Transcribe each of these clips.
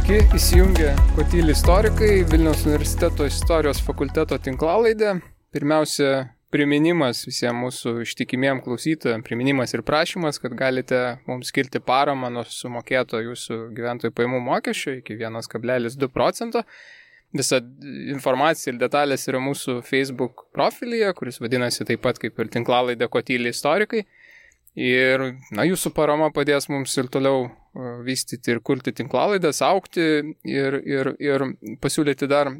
Sveiki, įsijungę Kotyli istorikai, Vilniaus universiteto istorijos fakulteto tinklalaidė. Pirmiausia, priminimas visiems mūsų ištikimiem klausytojams, priminimas ir prašymas, kad galite mums skirti paramą nuo sumokėto jūsų gyventojų pajamų mokesčio iki 1,2%. Visa informacija ir detalės yra mūsų Facebook profilyje, kuris vadinasi taip pat kaip ir tinklalaidė Kotyli istorikai. Ir jūsų parama padės mums ir toliau vystyti ir kurti tinklalaidas, augti ir pasiūlyti dar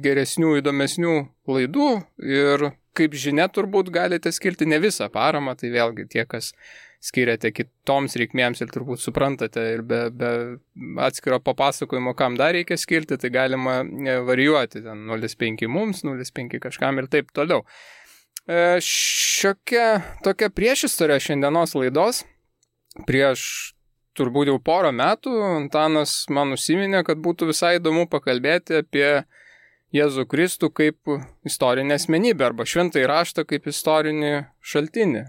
geresnių, įdomesnių laidų. Ir kaip žinia, turbūt galite skirti ne visą paramą, tai vėlgi tie, kas skiriate kitoms reikmėms ir turbūt suprantate ir be atskiro papasakojimo, kam dar reikia skirti, tai galima varijuoti, 0,5 mums, 0,5 kažkam ir taip toliau. Šiokia tokia priešistorė šiandienos laidos. Prieš turbūt jau porą metų Antanas man užsiminė, kad būtų visai įdomu pakalbėti apie Jėzų Kristų kaip istorinę asmenybę arba šventąjį raštą kaip istorinį šaltinį.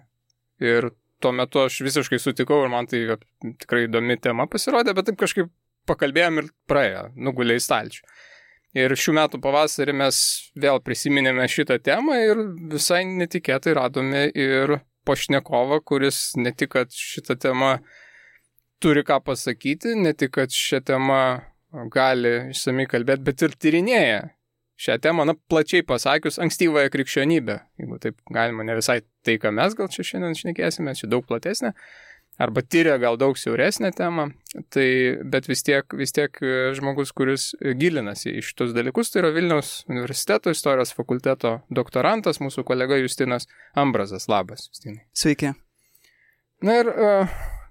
Ir tuo metu aš visiškai sutikau ir man tai tikrai įdomi tema pasirodė, bet taip kažkaip pakalbėjom ir praėjo, nugulė į stalčių. Ir šių metų pavasarį mes vėl prisiminėme šitą temą ir visai netikėtai radome ir pašnekovą, kuris ne tik, kad šitą temą turi ką pasakyti, ne tik, kad šią temą gali išsamiai kalbėti, bet ir tyrinėja šią temą, plačiai pasakius, ankstyvąją krikščionybę. Jeigu taip galima, ne visai tai, ką mes gal čia šiandien šnekėsime, čia daug platesnė. Arba tyria gal daug siauresnę temą, bet vis tiek žmogus, kuris gilinasi į šitus dalykus, tai yra Vilniaus universiteto istorijos fakulteto doktorantas, mūsų kolega Justinas Ambrazas. Labas, Justinai. Sveiki. Na ir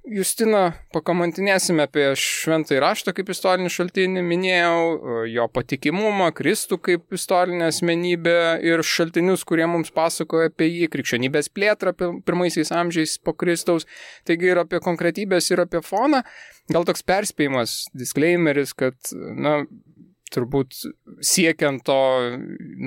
Justina, pakamantinėsime apie šventąjį raštą kaip istorinį šaltinį, minėjau jo patikimumą, Kristų kaip istorinę asmenybę ir šaltinius, kurie mums pasakoja apie jį, krikščionybės plėtrą pirmaisiais amžiais po Kristaus, taigi ir apie konkretybės, ir apie foną. Gal toks perspėjimas, disclaimeris, kad, turbūt siekiant to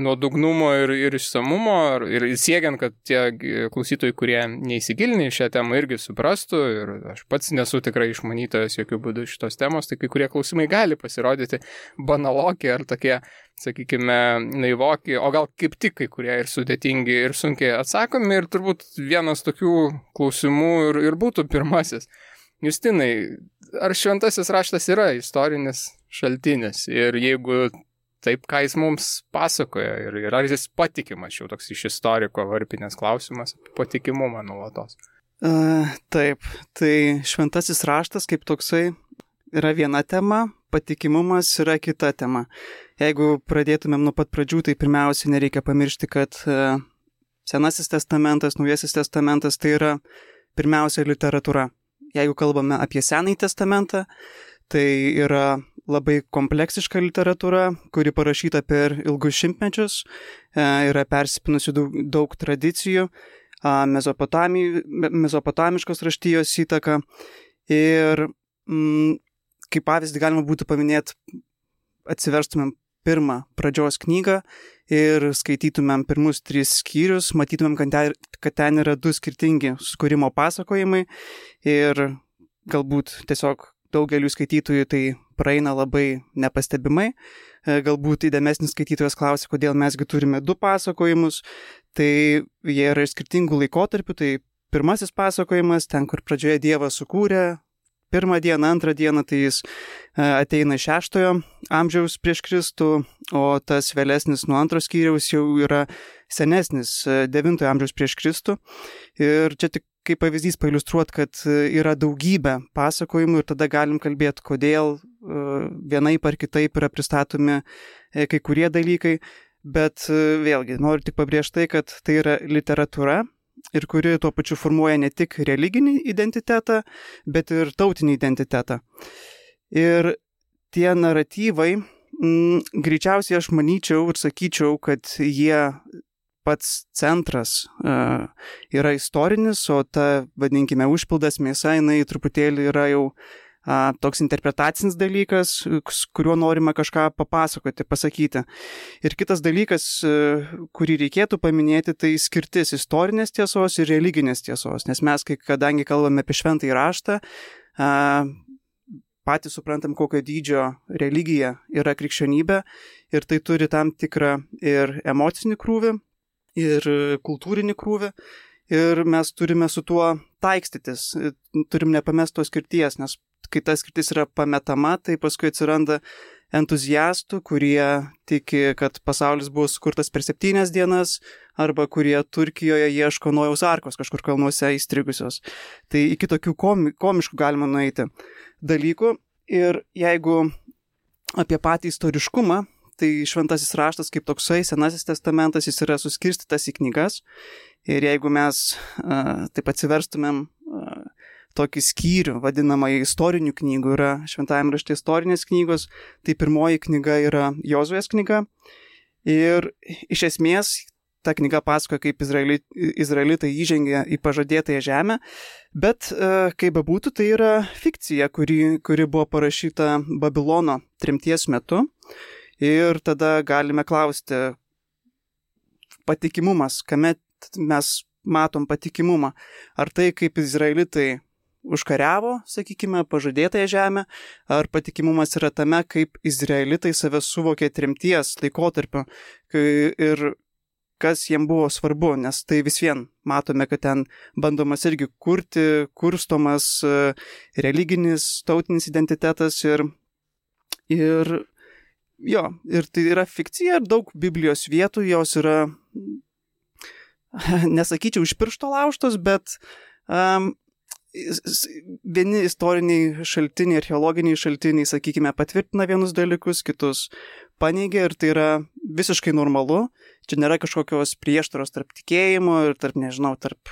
nuodugnumo ir išsamumo ir siekiant, kad tie klausytojai, kurie neįsigilinę į šią temą, irgi suprastų, ir aš pats nesu tikrai išmanytojas jokių būdų šitos temos, tai kai kurie klausimai gali pasirodyti banaloki ar tokie, sakykime, naivoki, o gal kaip tik kai kurie ir sudėtingi ir sunkiai atsakomi, ir turbūt vienas tokių klausimų ir būtų pirmasis. Justinai, ar šventasis raštas yra istorinis šaltinis ir jeigu taip, ką jis mums pasakoja ir ar jis patikimas, jau toks iš istoriko varpinės klausimas apie patikimumą nuolatos? Taip, tai šventasis raštas kaip toksai yra viena tema, patikimumas yra kita tema. Jeigu pradėtumėm nuo pat pradžių, tai pirmiausia nereikia pamiršti, kad Senasis testamentas, Naujasis testamentas tai yra pirmiausia literatūra. Jeigu kalbame apie Senąjį testamentą, tai yra labai kompleksiška literatūra, kuri parašyta per ilgus šimtmečius, yra persipinusi daug tradicijų, mesopotamiškos raštijos įtaka. Ir kaip pavyzdį galima būtų paminėti, atsiverstumėm pirmą pradžios knygą ir skaitytumėm pirmus 3 skyrius, matytumėm, kad ten yra 2 skirtingi sukūrimo pasakojimai ir galbūt tiesiog daugelių skaitytojų tai praeina labai nepastebimai. Galbūt įdėmesnis skaitytojas klausia, kodėl mesgi turime 2 pasakojimus. Tai jie yra iš skirtingų laikotarpių. Tai pirmasis pasakojimas, ten kur pradžioje Dievas sukūrė, pirmą dieną, antrą dieną, tai jis ateina iš 6 amžiaus prieš Kristų, o tas vėlesnis nuo 2 skyriaus jau yra senesnis 9 amžiaus prieš Kristų. Ir čia tik kaip pavyzdys pailiustruot, kad yra daugybė pasakojimų ir tada galim kalbėti, kodėl vienaip ar kitaip yra pristatomi kai kurie dalykai, bet vėlgi noriu tik pabrėžti tai, kad tai yra literatūra ir kuri tuo pačiu formuoja ne tik religinį identitetą, bet ir tautinį identitetą. Ir tie naratyvai, greičiausiai aš manyčiau ir sakyčiau, kad jie pats centras yra istorinis, o ta, vadinkime, užpildas mėsa, jinai truputėlį yra jau toks interpretacinis dalykas, kuriuo norima kažką papasakoti, pasakyti. Ir kitas dalykas, kurį reikėtų paminėti, tai skirtis istorinės tiesos ir religinės tiesos, nes mes, kadangi kalbame apie šventąjį raštą, patys suprantam, kokio dydžio religija yra krikščionybė ir tai turi tam tikrą ir emocinį krūvį, ir kultūrinį krūvį ir mes turime su tuo taikstytis, turim nepamest tos skirties, nes kai ta skirtis yra pametama, tai paskui atsiranda entuziastų, kurie tiki, kad pasaulis buvo sukurtas per 7 dienas, arba kurie Turkijoje ieško Nojaus arkos kažkur kalnuose įstrigusios. Tai iki tokių komiškų galima nueiti dalykų. Ir jeigu apie patį istoriškumą, tai šventasis raštas kaip toksai, Senasis testamentas, jis yra suskirstytas į knygas. Ir jeigu mes taip atsiverstumėm tokį skyrių, vadinamą istorinių knygų, yra šventajame rašte istorinės knygos, tai pirmoji knyga yra Jozuės knyga. Ir iš esmės ta knyga pasakoja, kaip izraelitai įžengė į pažadėtąją žemę, bet kaip bebūtų, tai yra fikcija, kuri buvo parašyta Babilono tremties metu. Ir tada galime klausti patikimumas, kame mes matom patikimumą. Ar tai, kaip izraelitai užkariavo, sakykime, pažadėtąją žemę, ar patikimumas yra tame, kaip izraelitai save suvokė tremties laikotarpiu ir kas jiem buvo svarbu, nes tai vis vien matome, kad ten bandomas irgi kurstomas religinis, tautinis identitetas ir tai yra fikcija ir daug Biblijos vietų, jos yra, nesakyčiau, iš piršto laužtos, bet vieni istoriniai šaltiniai, archeologiniai šaltiniai, sakykime, patvirtina vienus dalykus, kitus paneigia ir tai yra visiškai normalu. Čia nėra kažkokios prieštaros tarp tikėjimo ir tarp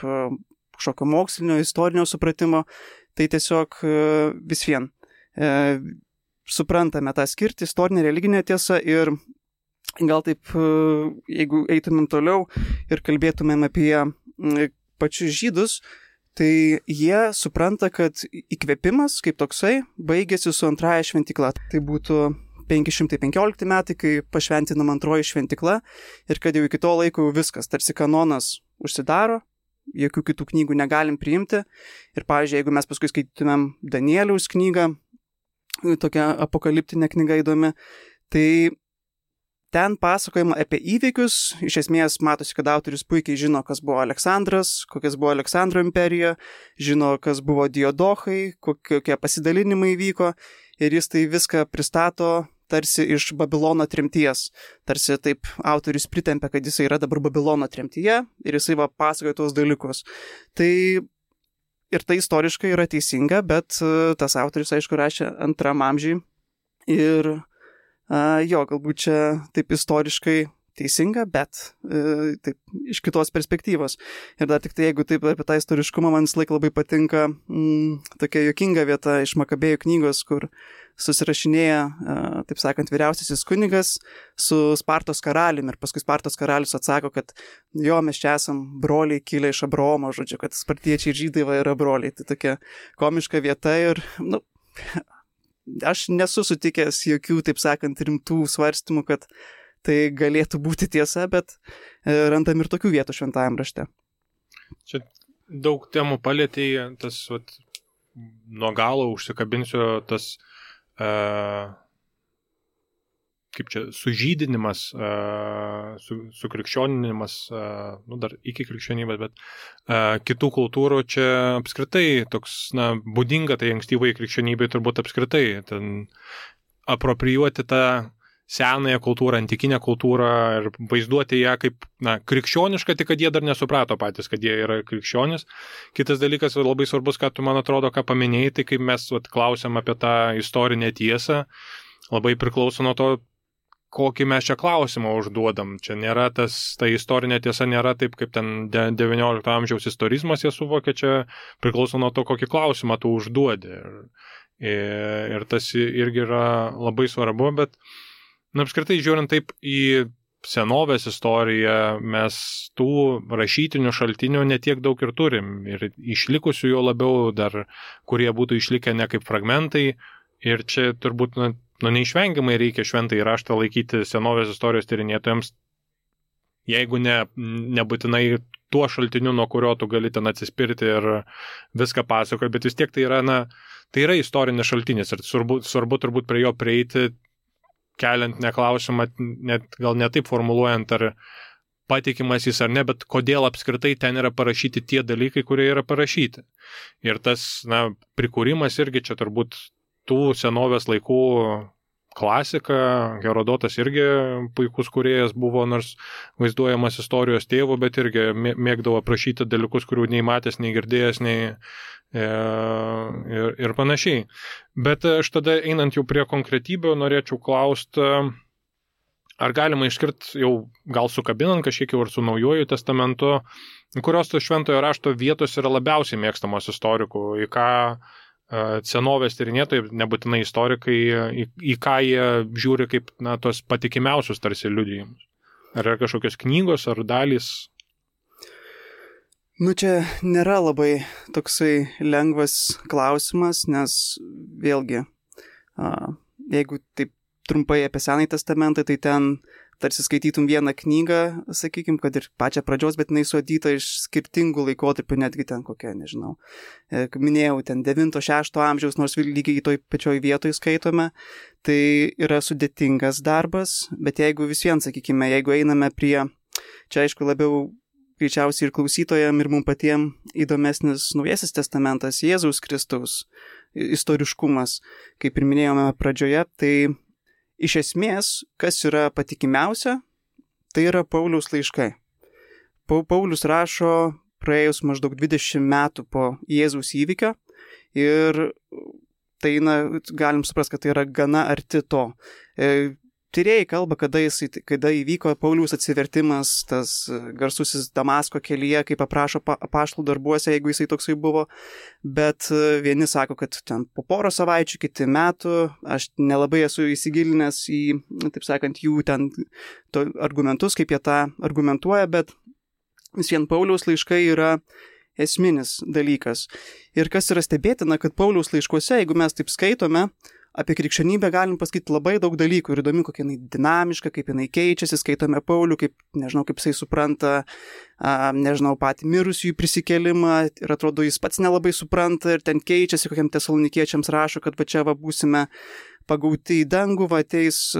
kažkokio mokslinio, istorinio supratimo. Tai tiesiog vis vien suprantame tą skirtį, istorinę, religinę tiesą ir gal taip, jeigu eitumėm toliau ir kalbėtumėm apie pačius žydus, tai jie supranta, kad įkvėpimas kaip toksai baigėsi su antraja šventykla. Tai būtų 515 metai, kai pašventinama antroji šventykla ir kad jau iki to laiko jau viskas, tarsi kanonas užsidaro, jokių kitų knygų negalim priimti. Ir pavyzdžiui, jeigu mes paskui skaitytumėm Danieliaus knygą, tokia apokaliptinė knyga įdomi, tai ten pasakojama apie įvykius, iš esmės matosi, kad autorius puikiai žino, kas buvo Aleksandras, kokias buvo Aleksandro imperija, žino, kas buvo Diodochai, kokie pasidalinimai vyko ir jis tai viską pristato tarsi iš Babilono tremties. Tarsi taip autorius pritempia, kad jisai yra dabar Babilono tremtyje ir jisai pasakoja tuos dalykus. Tai ir tai istoriškai yra teisinga, bet tas autorius, aišku, rašė 2 amžiui ir galbūt čia taip istoriškai teisinga, bet taip iš kitos perspektyvos. Ir dar tik tai, jeigu taip apie tą istoriškumą, man visą laiką labai patinka tokia juokinga vieta iš Makabėjų knygos, kur susirašinėja, taip sakant, vyriausiasis kunigas su Spartos karaliumi ir paskui Spartos karalius atsako, kad jo, mes čia esam broliai kilę iš Abraomo, žodžiu, kad spartiečiai ir žydai yra broliai. Tai tokia komiška vieta ir, aš nesu sutikęs jokių, taip sakant, rimtų svarstymų, kad tai galėtų būti tiesa, bet randam ir tokių vietų šventajam rašte. Čia daug temų palėtėjai, tas nuo galo užsikabinsiu, tas kaip čia, sužydinimas, sukrikščioninimas, dar iki krikščionybės, bet kitų kultūrų čia apskritai toks, būdinga tai ankstyvai krikščionybei turbūt apskritai, ten aproprijuoti tą senąją kultūrą, antikinę kultūrą ir vaizduoti ją kaip, krikščionišką, tik kad jie dar nesuprato patys, kad jie yra krikščionis. Kitas dalykas labai svarbus, ką tu, man atrodo, ką paminėjai, tai kaip mes klausiam apie tą istorinę tiesą, labai priklauso nuo to, kokį mes čia klausimą užduodam. Čia nėra ta istorinė tiesa nėra taip, kaip ten 19 amžiaus istorizmas jie suvokia, čia priklauso nuo to, kokį klausimą tu užduodi. Ir tas irgi yra labai svarbu, bet apskritai žiūrint taip į senovės istoriją, mes tų rašytinių šaltinių netiek daug ir turim. Ir išlikusių jo labiau dar, kurie būtų išlikę ne kaip fragmentai. Ir čia turbūt neišvengiamai reikia šventąjį raštą laikyti senovės istorijos tyrinėtojams, jeigu nebūtinai tuo šaltiniu, nuo kurio tu gali ten atsispirti ir viską pasakoti, bet vis tiek tai yra, tai yra istorinis šaltinis ir svarbu turbūt prie jo prieiti, keliant neklausimą, net gal ne taip formuluojant, ar patikimas jis ar ne, bet kodėl apskritai ten yra parašyti tie dalykai, kurie yra parašyti. Ir tas, prikūrimas irgi čia turbūt tų senovės laikų klasika, Herodotas irgi puikus kūrėjas buvo, nors vaizduojamas istorijos tėvu, bet irgi mėgdavo aprašyti dalykus, kurių nei matęs, nei girdėjęs, ir panašiai. Bet aš tada, einant jau prie konkretybių, norėčiau klausti, ar galima išskirti jau gal sukabinant kažkiek jau ir su Naujuoju testamentu, kurios to šventojo rašto vietos yra labiausiai mėgstamos istorikų, į ką senovės tyrinėtojai, nebūtinai istorikai, į ką jie žiūri kaip tos patikimiausius tarsi liudijimus. Ar yra kažkokios knygos ar dalys? Čia nėra labai toksai lengvas klausimas, nes vėlgi, jeigu taip trumpai apie Senąjį testamentą, tai ten tarsi skaitytum vieną knygą, sakykime, kad ir pačią pradžios, bet jinai suadyta iš skirtingų laikotarpių, netgi ten kokia, nežinau. Minėjau, ten 9-6 amžiaus, nors lygiai toj pačioj vietoj skaitome, tai yra sudėtingas darbas, bet jeigu vis vien, sakykime, jeigu einame prie, čia aišku labiau greičiausiai ir klausytojam, ir mums patiem įdomesnis Naujasis testamentas, Jėzaus Kristaus istoriškumas, kaip ir minėjome pradžioje, tai iš esmės, kas yra patikimiausia, tai yra Pauliaus laiškai. Paulius rašo praėjus maždaug 20 metų po Jėzaus įvykio ir tai, galim suprasti, kad tai yra gana arti to. Tyrėjai kalba, kada įvyko Pauliaus atsivertimas, tas garsusis Damasko kelyje, kaip aprašo apaštalų darbuose, jeigu jisai toksai buvo, bet vieni sako, kad ten po porą savaičių, kiti metų, aš nelabai esu įsigilinęs į, taip sakant, jų ten argumentus, kaip jie tą argumentuoja, bet vis vien Pauliaus laiškai yra esminis dalykas. Ir kas yra stebėtina, kad Pauliaus laiškuose, jeigu mes taip skaitome, apie krikščionybę galim pasakyti labai daug dalykų ir įdomi, kokia jinai dinamiška, kaip jinai keičiasi, skaitome Paulių, kaip jisai supranta, patį mirusiųjų prisikėlimą ir atrodo, jis pats nelabai supranta ir ten keičiasi, kokiam tesalonikiečiams rašo, kad čia būsime pagauti į dangų, ateis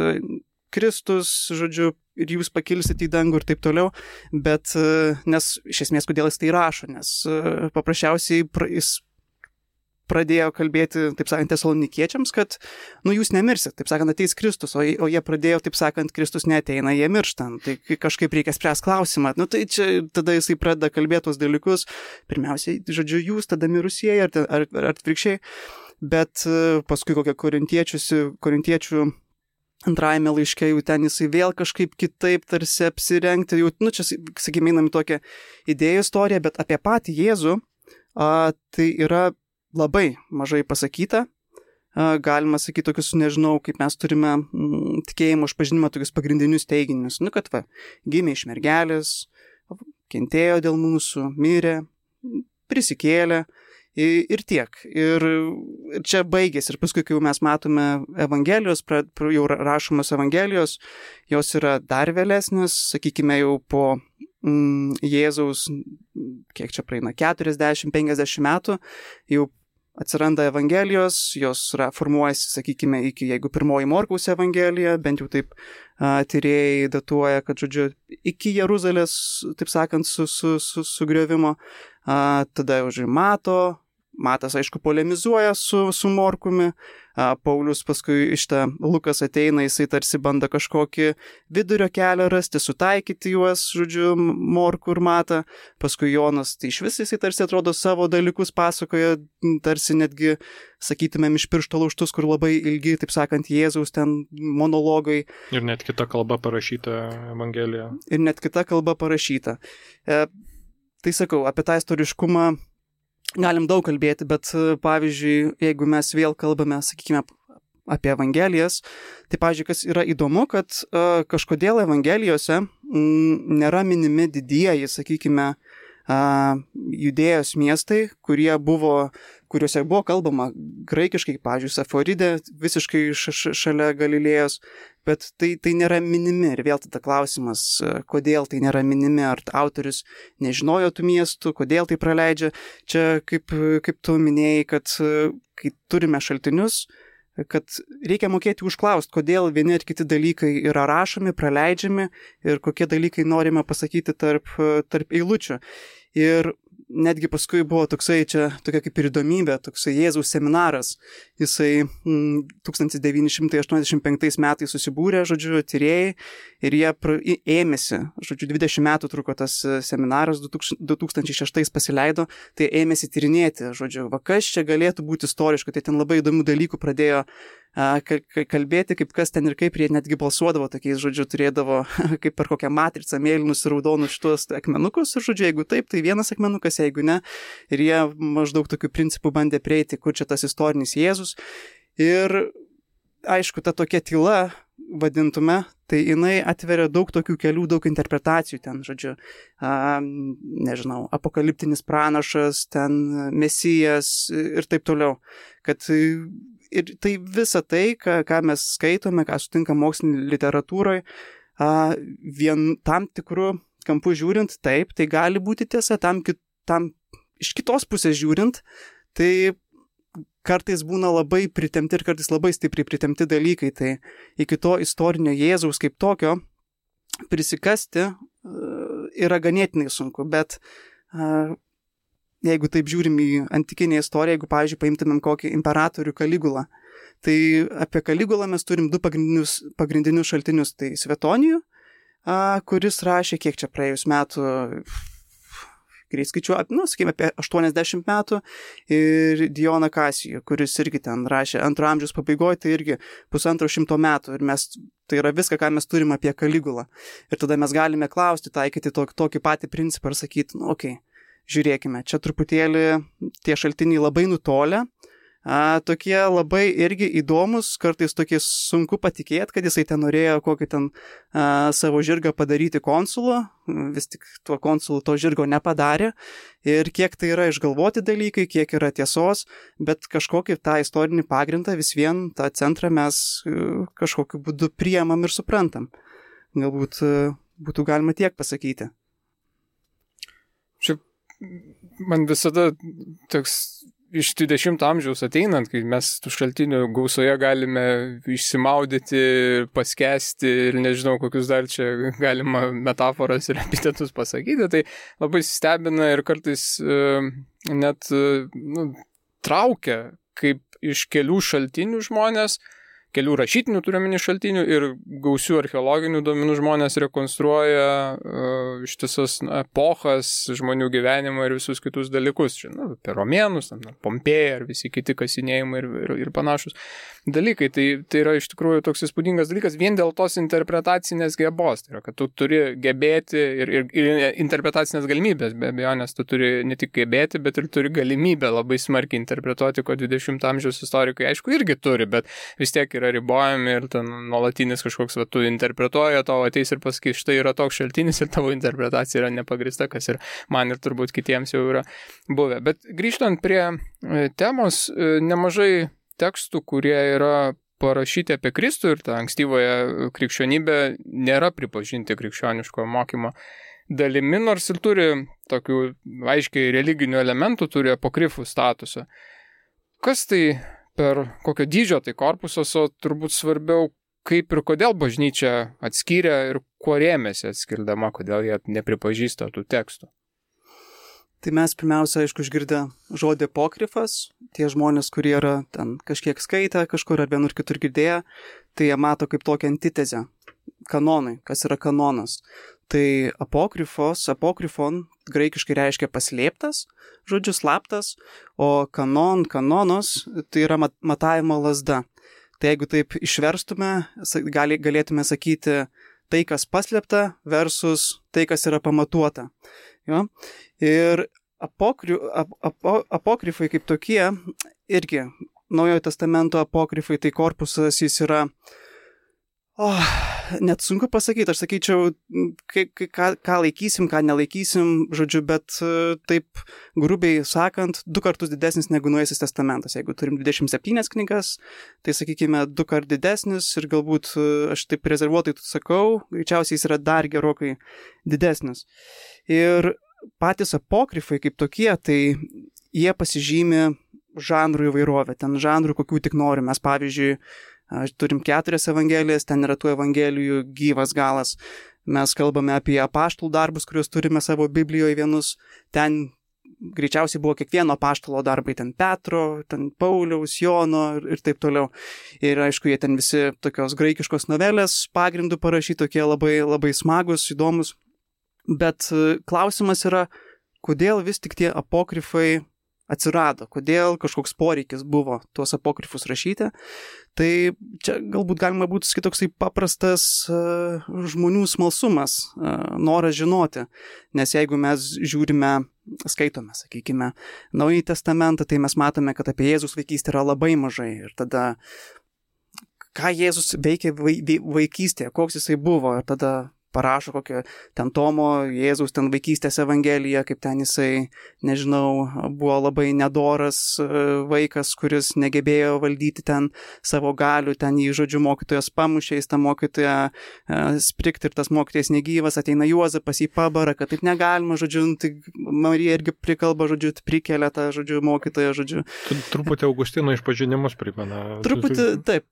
Kristus, ir jūs pakilsite į dangų ir taip toliau, bet nes iš esmės, kodėl jis tai rašo, nes paprasčiausiai jis pradėjo kalbėti, taip sakant, tesalonikiečiams, kad, jūs nemirsit, taip sakant, ateis Kristus, o jie pradėjo, taip sakant, Kristus neateina, jie miršta. Tai kažkaip reikia spręsti klausimą. Tai čia tada jisai pradeda kalbėti tos dalykus, pirmiausiai, jūs, tada mirusieji, ar atvirkščiai, bet paskui kokią korintiečių antrajame laiške jau ten jisai vėl kažkaip kitaip tarsi apsirengti, čia, sakykime, einam į tokią idėjų istoriją, bet apie patį Jėzų, tai yra labai mažai pasakyta, galima sakyti tokius, nežinau, kaip mes turime tikėjimo išpažinimą, tokius pagrindinius teiginius, kad gimė iš mergelės, kentėjo dėl mūsų, mirė, prisikėlė ir tiek. Ir čia baigėsi. Ir paskui, kai jau mes matome Evangelijos, jau rašomos Evangelijos, jos yra dar vėlesnės, sakykime, jau po Jėzaus, kiek čia praeina, 40-50 metų, jau atsiranda Evangelijos, jos formuojasi, sakykime, jeigu pirmoji Morkaus Evangelija, bent jau taip tyrėjai datuoja, kad, iki Jeruzalės, taip sakant, sugriovimo, tada jau Matas, aišku, polemizuoja su Morkumi, Paulius paskui Lukas ateina, jisai tarsi bando kažkokį vidurio kelią rasti, sutaikyti juos, Morkų ir Matą, paskui Jonas, tai iš vis jisai tarsi atrodo savo dalykus pasakoja, tarsi netgi, sakytumėm, iš piršto laužtus, kur labai ilgi, taip sakant, Jėzaus ten monologai. Ir net kita kalba parašyta Evangelija. Tai sakau, apie tą istoriškumą galim daug kalbėti, bet pavyzdžiui, jeigu mes vėl kalbame, sakykime, apie Evangelijas, tai pavyzdžiui, kas yra įdomu, kad kažkodėl Evangelijose nėra minimi didieji, sakykime, Judėjos miestai, kuriuose buvo kalbama graikiškai, pavyzdžiui, Saforidė, visiškai šalia Galilėjos, bet tai nėra minimi. Ir vėl tada klausimas, kodėl tai nėra minimi, ar autorius nežinojo tų miestų, kodėl tai praleidžia. Čia, kaip tu minėjai, kad kai turime šaltinius, kad reikia mokėti užklausti, kodėl vieni ar kiti dalykai yra rašomi, praleidžiami ir kokie dalykai norime pasakyti tarp eilučių. Ir netgi paskui buvo tokia kaip ir įdomybė, toksai Jėzaus seminaras. Jisai 1985 metais susibūrė, tyrėjai, ir jie ėmėsi, 20 metų truko tas seminaras, 2006 pasileido, tai ėmėsi tyrinėti, kas čia galėtų būti istoriška, tai ten labai įdomių dalykų pradėjo kalbėti, kaip kas ten ir kaip, jie netgi balsuodavo tokiais, turėdavo kaip per kokią matricą mėlynus ir raudonus šitos akmenukus, ir jeigu taip, tai vienas akmenukas, jeigu ne, ir jie maždaug tokių principų bandė prieiti, kur čia tas istorinis Jėzus. Ir aišku, ta tokia tyla, vadintume, tai jinai atveria daug tokių kelių, daug interpretacijų ten, nežinau, apokaliptinis pranašas, ten mesijas ir taip toliau, kad ir tai visa tai, ką mes skaitome, ką sutinkam mokslinėje literatūroje, tam tikrų kampų žiūrint, taip, tai gali būti tiesa, tam iš kitos pusės žiūrint, tai kartais būna labai pritemti ir kartais labai stipriai pritemti dalykai, tai iki to istorinio Jėzaus kaip tokio prisikasti yra ganėtinai sunku, bet jeigu taip žiūrim į antikinę istoriją, jeigu, pavyzdžiui, paimtumėm kokį imperatorių Kaligulą, tai apie Kaligulą mes turim du pagrindinius šaltinius, tai Svetonijų, kuris rašė, kiek čia praėjus metų, greit skaičiuoju, sakykime, apie 80 metų, ir Dioną Kasijų, kuris irgi ten rašė 2 amžiaus pabaigoje, tai irgi 150 metų, ir tai yra viską, ką mes turim apie Kaligulą. Ir tada mes galime klausti, taikyti tokį patį principą ir sakyti, okei, žiūrėkime, čia truputėlį tie šaltiniai labai nutolę, tokie labai irgi įdomus, kartais tokie sunku patikėti, kad jisai ten norėjo kokį ten savo žirgą padaryti konsulu, vis tik tuo konsulu to žirgo nepadarė, ir kiek tai yra išgalvoti dalykai, kiek yra tiesos, bet kažkokį tą istorinį pagrindą vis vien tą centrą mes kažkokiu būdu priemam ir suprantam. Galbūt būtų galima tiek pasakyti. Šiaip man visada toks iš 20 amžiaus ateinant, kai mes tų šaltinių gausoje galime išsimaudyti, paskesti ir nežinau, kokius dar čia galima metaforas ir epitetus pasakyti, tai labai stebina ir kartais net traukia, kaip iš kelių šaltinių žmonės, kelių rašytinių turiuomenį šaltinių ir gausių archeologinių duomenų žmonės rekonstruoja ištisas epochas, žmonių gyvenimą ir visus kitus dalykus. Apie romėnus, Pompėją ir visi kiti kasinėjimai ir panašus dalykai. Tai yra iš tikrųjų toks įspūdingas dalykas vien dėl tos interpretacinės gebos. Tai yra, kad tu turi gebėti ir interpretacinės galimybės, be abejo, nes tu turi ne tik gebėti, bet ir turi galimybę labai smarkiai interpretuoti, ko 20 amžiaus istorikai aišku irgi turi, bet vis tiek yra ribojami ir ten nuolatinis kažkoks, tu interpretuoji, tavo ateis ir pasakys, štai yra toks šaltinis ir tavo interpretacija yra nepagrįsta, kas ir man ir turbūt kitiems jau yra buvę. Bet grįžtant prie temos, nemažai tekstų, kurie yra parašyti apie Kristų ir tą ankstyvąją krikščionybę nėra pripažinti krikščioniško mokymo dalimi, nors ir turi tokių aiškiai religinių elementų, turi apokrifų statusą. Kas tai per kokio dydžio tai korpusas, o turbūt svarbiau, kaip ir kodėl bažnyčia atskyrė ir kuo rėmėsi atskirdama, kodėl jie nepripažįsta tų tekstų? Tai mes pirmiausia, aišku, išgirdę žodį apokrifas, tie žmonės, kurie yra ten kažkiek skaitę kažkur ar vienur kitur girdėję, tai jie mato kaip tokią antitezę kanonui, kas yra kanonas. Tai apokrifon graikiškai reiškia paslėptas, žodžiu slaptas, o kanonos tai yra matavimo lazda. Tai jeigu taip išverstume, galėtume sakyti tai, kas paslėpta versus tai, kas yra pamatuota. Jo? Ir apokrifai kaip tokie, irgi Naujojo testamento apokrifai, tai korpusas jis yra net sunku pasakyti, aš sakyčiau, ką laikysim, ką nelaikysim, žodžiu, bet taip grubiai sakant, 2 kartus didesnis negu Naujasis testamentas. Jeigu turim 27 knygas, tai sakykime 2 kart didesnis ir galbūt aš taip rezervuotai sakau, greičiausiai jis yra dar gerokai didesnis. Ir patys apokrifai kaip tokie, tai jie pasižymi žanrų įvairovę, ten žanrų kokių tik nori. Mes pavyzdžiui, turim 4 evangelijas, ten yra tų evangelijų gyvas galas. Mes kalbame apie apaštalų darbus, kuriuos turime savo Biblijoje vienus. Ten greičiausiai buvo kiekvieno apaštalo darbai, ten Petro, ten Pauliaus, Jono ir taip toliau. Ir aišku, jie ten visi tokios graikiškos novelės pagrindų parašyti, tokie labai, labai smagus, įdomus. Bet klausimas yra, kodėl vis tik tie apokrifai atsirado, kodėl kažkoks poreikis buvo tuos apokrifus rašyti. Tai čia galbūt galima būtų sakyti toksai paprastas žmonių smalsumas, noras žinoti. Nes jeigu mes skaitome, sakykime, Naująjį testamentą, tai mes matome, kad apie Jėzus vaikystę yra labai mažai. Ir tada, ką Jėzus veikė vaikystėje, koks jisai buvo, ir tada parašo kokią ten Tomo, Jėzaus ten vaikystės evangeliją, kaip ten jisai, nežinau, buvo labai nedoras vaikas, kuris negebėjo valdyti ten savo galių, ten jį, žodžiu, mokytojas pamušė, jis tą mokytoją sprikti ir tas mokytojas negyvas, ateina Juozapas į pabarą, kad taip negalima, žodžiu, tai Marija irgi prikalba, žodžiu, prikelia tą, žodžiu, mokytoją, žodžiu. Truputį Augustino išpažinimus primena. Truputį, taip,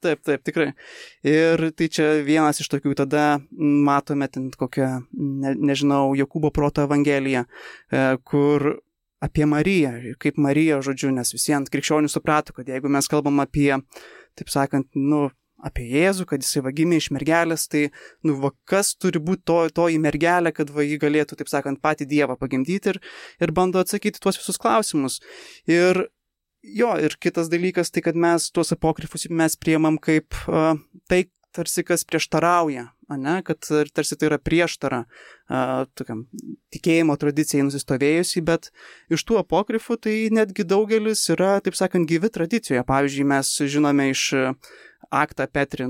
tikrai. Ir tai čia vienas iš tokių, tada matome ten kokią, nežinau, Jokūbo proto evangeliją, kur apie Mariją, kaip Marija, žodžiu, nes visiems krikščionių suprato, kad jeigu mes kalbam apie, taip sakant, apie Jėzų, kad jisai gimė iš mergelės, tai, kas turi būti toji mergelė, kad ji galėtų, taip sakant, patį Dievą pagimdyti ir bando atsakyti tuos visus klausimus. Ir kitas dalykas, tai kad mes tuos apokrifus mes priemam kaip tai, tarsi kas prieštarauja, kad tarsi tai yra prieštara tokiam tikėjimo tradicijai nusistovėjusi, bet iš tų apokrifų tai netgi daugelis yra, taip sakant, gyvi tradicijoje. Pavyzdžiui, mes žinome iš Aktą Petri,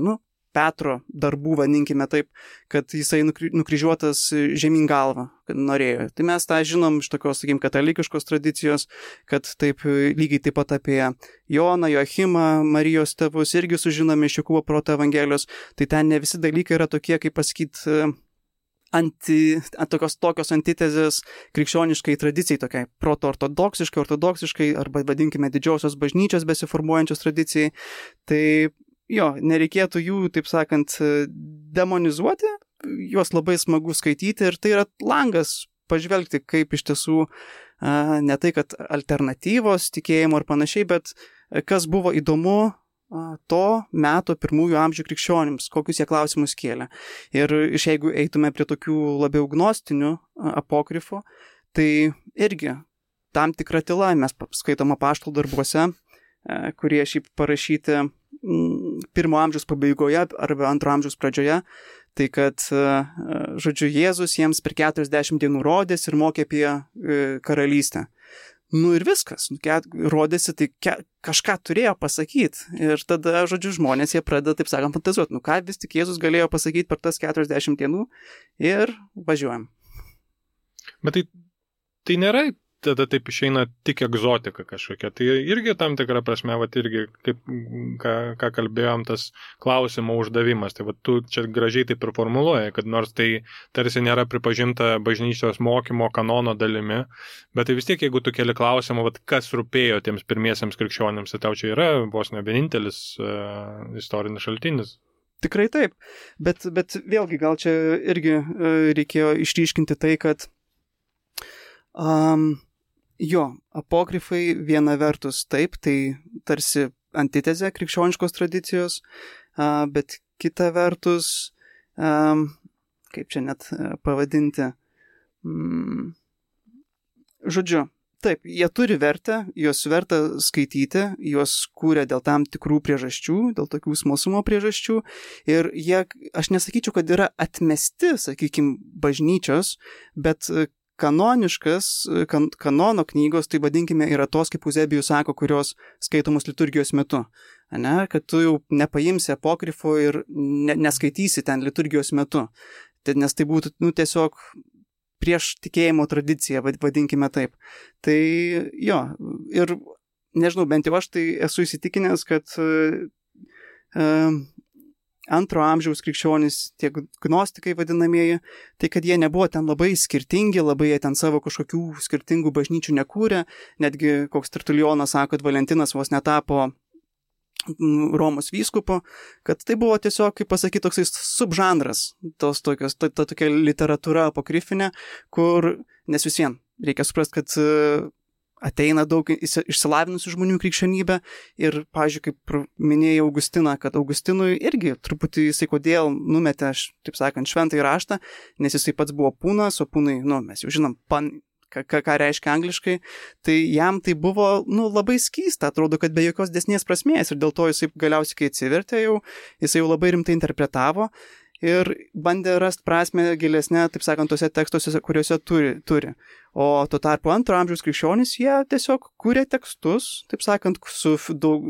Petro darbų, vadinkime taip, kad jisai nukryžiuotas žemyn galvą, kad norėjo. Tai mes tą žinom iš tokios, sakykim, katalikiškos tradicijos, kad taip lygiai taip pat apie Joną, Joachimą, Marijos tėvus irgi sužinome iš Jokūbo proto evangelijos. Tai ten ne visi dalykai yra tokie, kaip pasakyti, tokios antitezės krikščioniškai tradicijai, tokiai proto-ortodoksiškai, arba vadinkime didžiosios bažnyčios besiformuojančios tradicijai. Tai nereikėtų jų, taip sakant, demonizuoti, juos labai smagu skaityti ir tai yra langas pažvelgti, kaip iš tiesų ne tai, kad alternatyvos tikėjimo ir panašiai, bet kas buvo įdomu to meto pirmųjų amžių krikščionims, kokius jie klausimus kėlė. Ir jeigu eitume prie tokių labiau gnostinių apokrifų, tai irgi tam tikra tyla mes skaitom apaštalų darbuose, kurie šiaip parašyti 1 amžiaus pabaigoje arba 2 amžiaus pradžioje, tai kad, žodžiu, Jėzus jiems per 40 dienų rodėsi ir mokė apie karalystę. Ir viskas, rodėsi, tai kažką turėjo pasakyti. Ir tada, žodžiu, žmonės jie pradeda, taip sakant, fantazuoti, ką vis tik Jėzus galėjo pasakyti per tas 40 dienų ir važiuojam. Bet tai nėra tada taip išeina tik egzotika kažkokia. Tai irgi tam tikrą prasme, irgi, kaip, ką kalbėjom, tas klausimo uždavimas. Tai tu čia gražiai taip ir formuluoji, kad nors tai tarsi nėra pripažinta bažnyčios mokymo kanono dalimi, bet tai vis tiek, jeigu tu keli klausimą, kas rūpėjo tiems pirmiesiams krikščionims, tai tau čia yra vos ne vienintelis istorinis šaltinis. Tikrai taip, bet vėlgi gal čia irgi reikėjo išryškinti tai, kad apokrifai viena vertus taip, tai tarsi antitezė krikščioniškos tradicijos, bet kita vertus, kaip čia net pavadinti, žodžiu, taip, jie turi vertę, juos verta skaityti, juos kūrė dėl tam tikrų priežasčių, dėl tokių smalsumo priežasčių ir jie, aš nesakyčiau, kad yra atmesti, sakykime, bažnyčios, bet kanono knygos, tai vadinkime, yra tos, kaip Euzebijus sako, kurios skaitomos liturgijos metu. ne, kad tu jau nepaimsi apokrifo ir neskaitysi ten liturgijos metu, nes tai būtų tiesiog prieš tikėjimo tradiciją, vadinkime taip. Tai jo, ir nežinau, bent jau aš tai esu įsitikinęs, kad antro amžiaus krikščionys, tie gnostikai vadinamieji, tai kad jie nebuvo ten labai skirtingi, labai jie ten savo kažkokių skirtingų bažnyčių nekūrė, netgi koks Tertulionas sako, kad Valentinas vos netapo Romos vyskupo, kad tai buvo tiesiog, kaip pasakyti, toksai subžanras, tokia literatūra apokrifinė, kur, nes vis vien, reikia suprasti, kad ateina daug išsilavinusių žmonių krikščionybę ir, pavyzdžiui, kaip minėjau Augustiną, kad Augustinui irgi truputį jisai kodėl numetė, taip sakant, šventąjį raštą, nes jisai pats buvo pūnas, o pūnai, mes jau žinom, ką reiškia angliškai, tai jam tai buvo, labai skysta, atrodo, kad be jokios desnės prasmės ir dėl to jisai galiausiai, kai atsivertė jau, jisai jau labai rimtai interpretavo ir bandė rasti prasmę gilesnę, taip sakant, tose tekstuose, kuriuose turi. O tuo tarpu antro amžiaus krikščionys, jie tiesiog kūrė tekstus, taip sakant, su daug,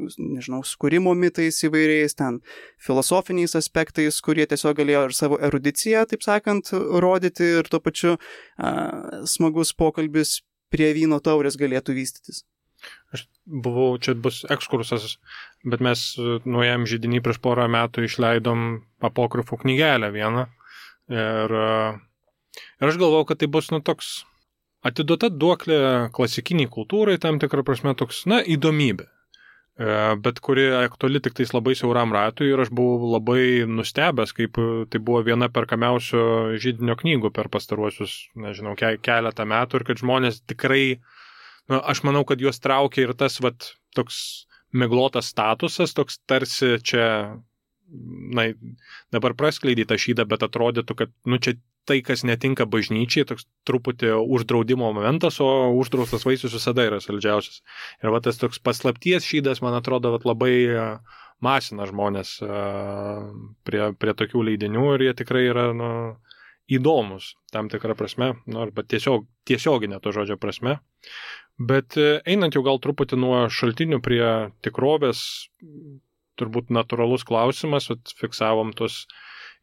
skūrimo mitais įvairiais, ten filosofiniais aspektais, kurie tiesiog galėjo ir savo erudiciją, taip sakant, rodyti ir tuo pačiu smagus pokalbis prie vyno taurės galėtų vystytis. Aš buvau, čia bus ekskursas, bet mes nuėjom židinį prieš porą metų išleidom apokrifų knygelę vieną ir aš galvau, kad tai bus, toks atiduota duoklė klasikiniai kultūrai, tam tikrą prasme toks, įdomybė, bet kuri aktuali tik tais labai siauram ratui ir aš buvau labai nustebęs, kaip tai buvo viena perkamiausių židinio knygų per pastaruosius, keletą metų ir kad žmonės tikrai aš manau, kad juos traukia ir tas toks miglotas statusas, toks tarsi čia, dabar praskleidyta šydą, bet atrodytų, kad čia tai, kas netinka bažnyčiai, toks truputį uždraudimo momentas, o uždraustas vaisius visada yra saldžiausias. Ir tas toks paslapties šydas, man atrodo, labai masina žmonės prie tokių leidinių ir jie tikrai yra, įdomus tam tikrą prasme, arba tiesioginė to žodžio prasme. Bet einant jau gal truputį nuo šaltinių prie tikrovės, turbūt natūralus klausimas, fiksavom tos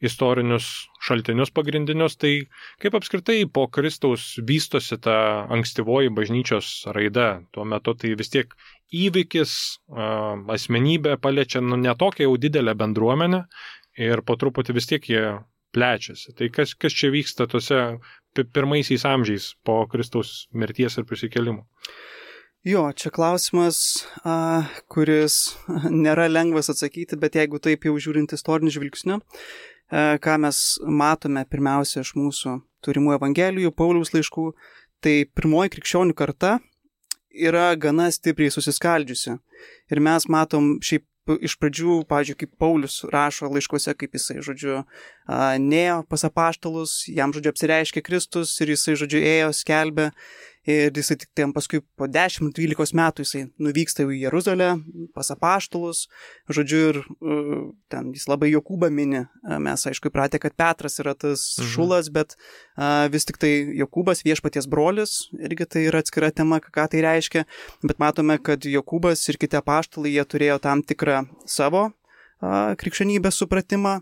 istorinius šaltinius pagrindinius, tai kaip apskritai po Kristaus vystosi ta ankstyvoji bažnyčios raida. Tuo metu tai vis tiek įvykis, asmenybė paliečia ne tokią jau didelę bendruomenę ir po truputį vis tiek jie plečiasi. Tai kas čia vyksta tose pirmaisiais amžiais po Kristaus mirties ir prisikėlimo? Jo, čia klausimas, kuris nėra lengvas atsakyti, bet jeigu taip jau žiūrint istoriniu žvilgsniu, ką mes matome pirmiausia iš mūsų turimų evangelijų, Pauliaus laiškų, tai pirmoji krikščionių karta yra gana stipriai susiskaldžiusi. Ir mes matom šiaip iš pradžių, pavyzdžiui, kaip Paulius rašo laiškuose, kaip jisai, nėjo pas apaštalus, jam, apsireiškė Kristus ir jisai, ėjo, skelbė. Ir jisai tik paskui po 10-12 metų jisai nuvyksta į Jeruzalę pas apaštalus, ir ten jis labai Jokūbą mini. Mes, aišku, įpratę, kad Petras yra tas šulas, bet vis tik tai Jokūbas viešpaties brolis, irgi tai yra atskira tema, ką tai reiškia, bet matome, kad Jokūbas ir kiti apaštalai, jie turėjo tam tikrą savo krikščionybės supratimą,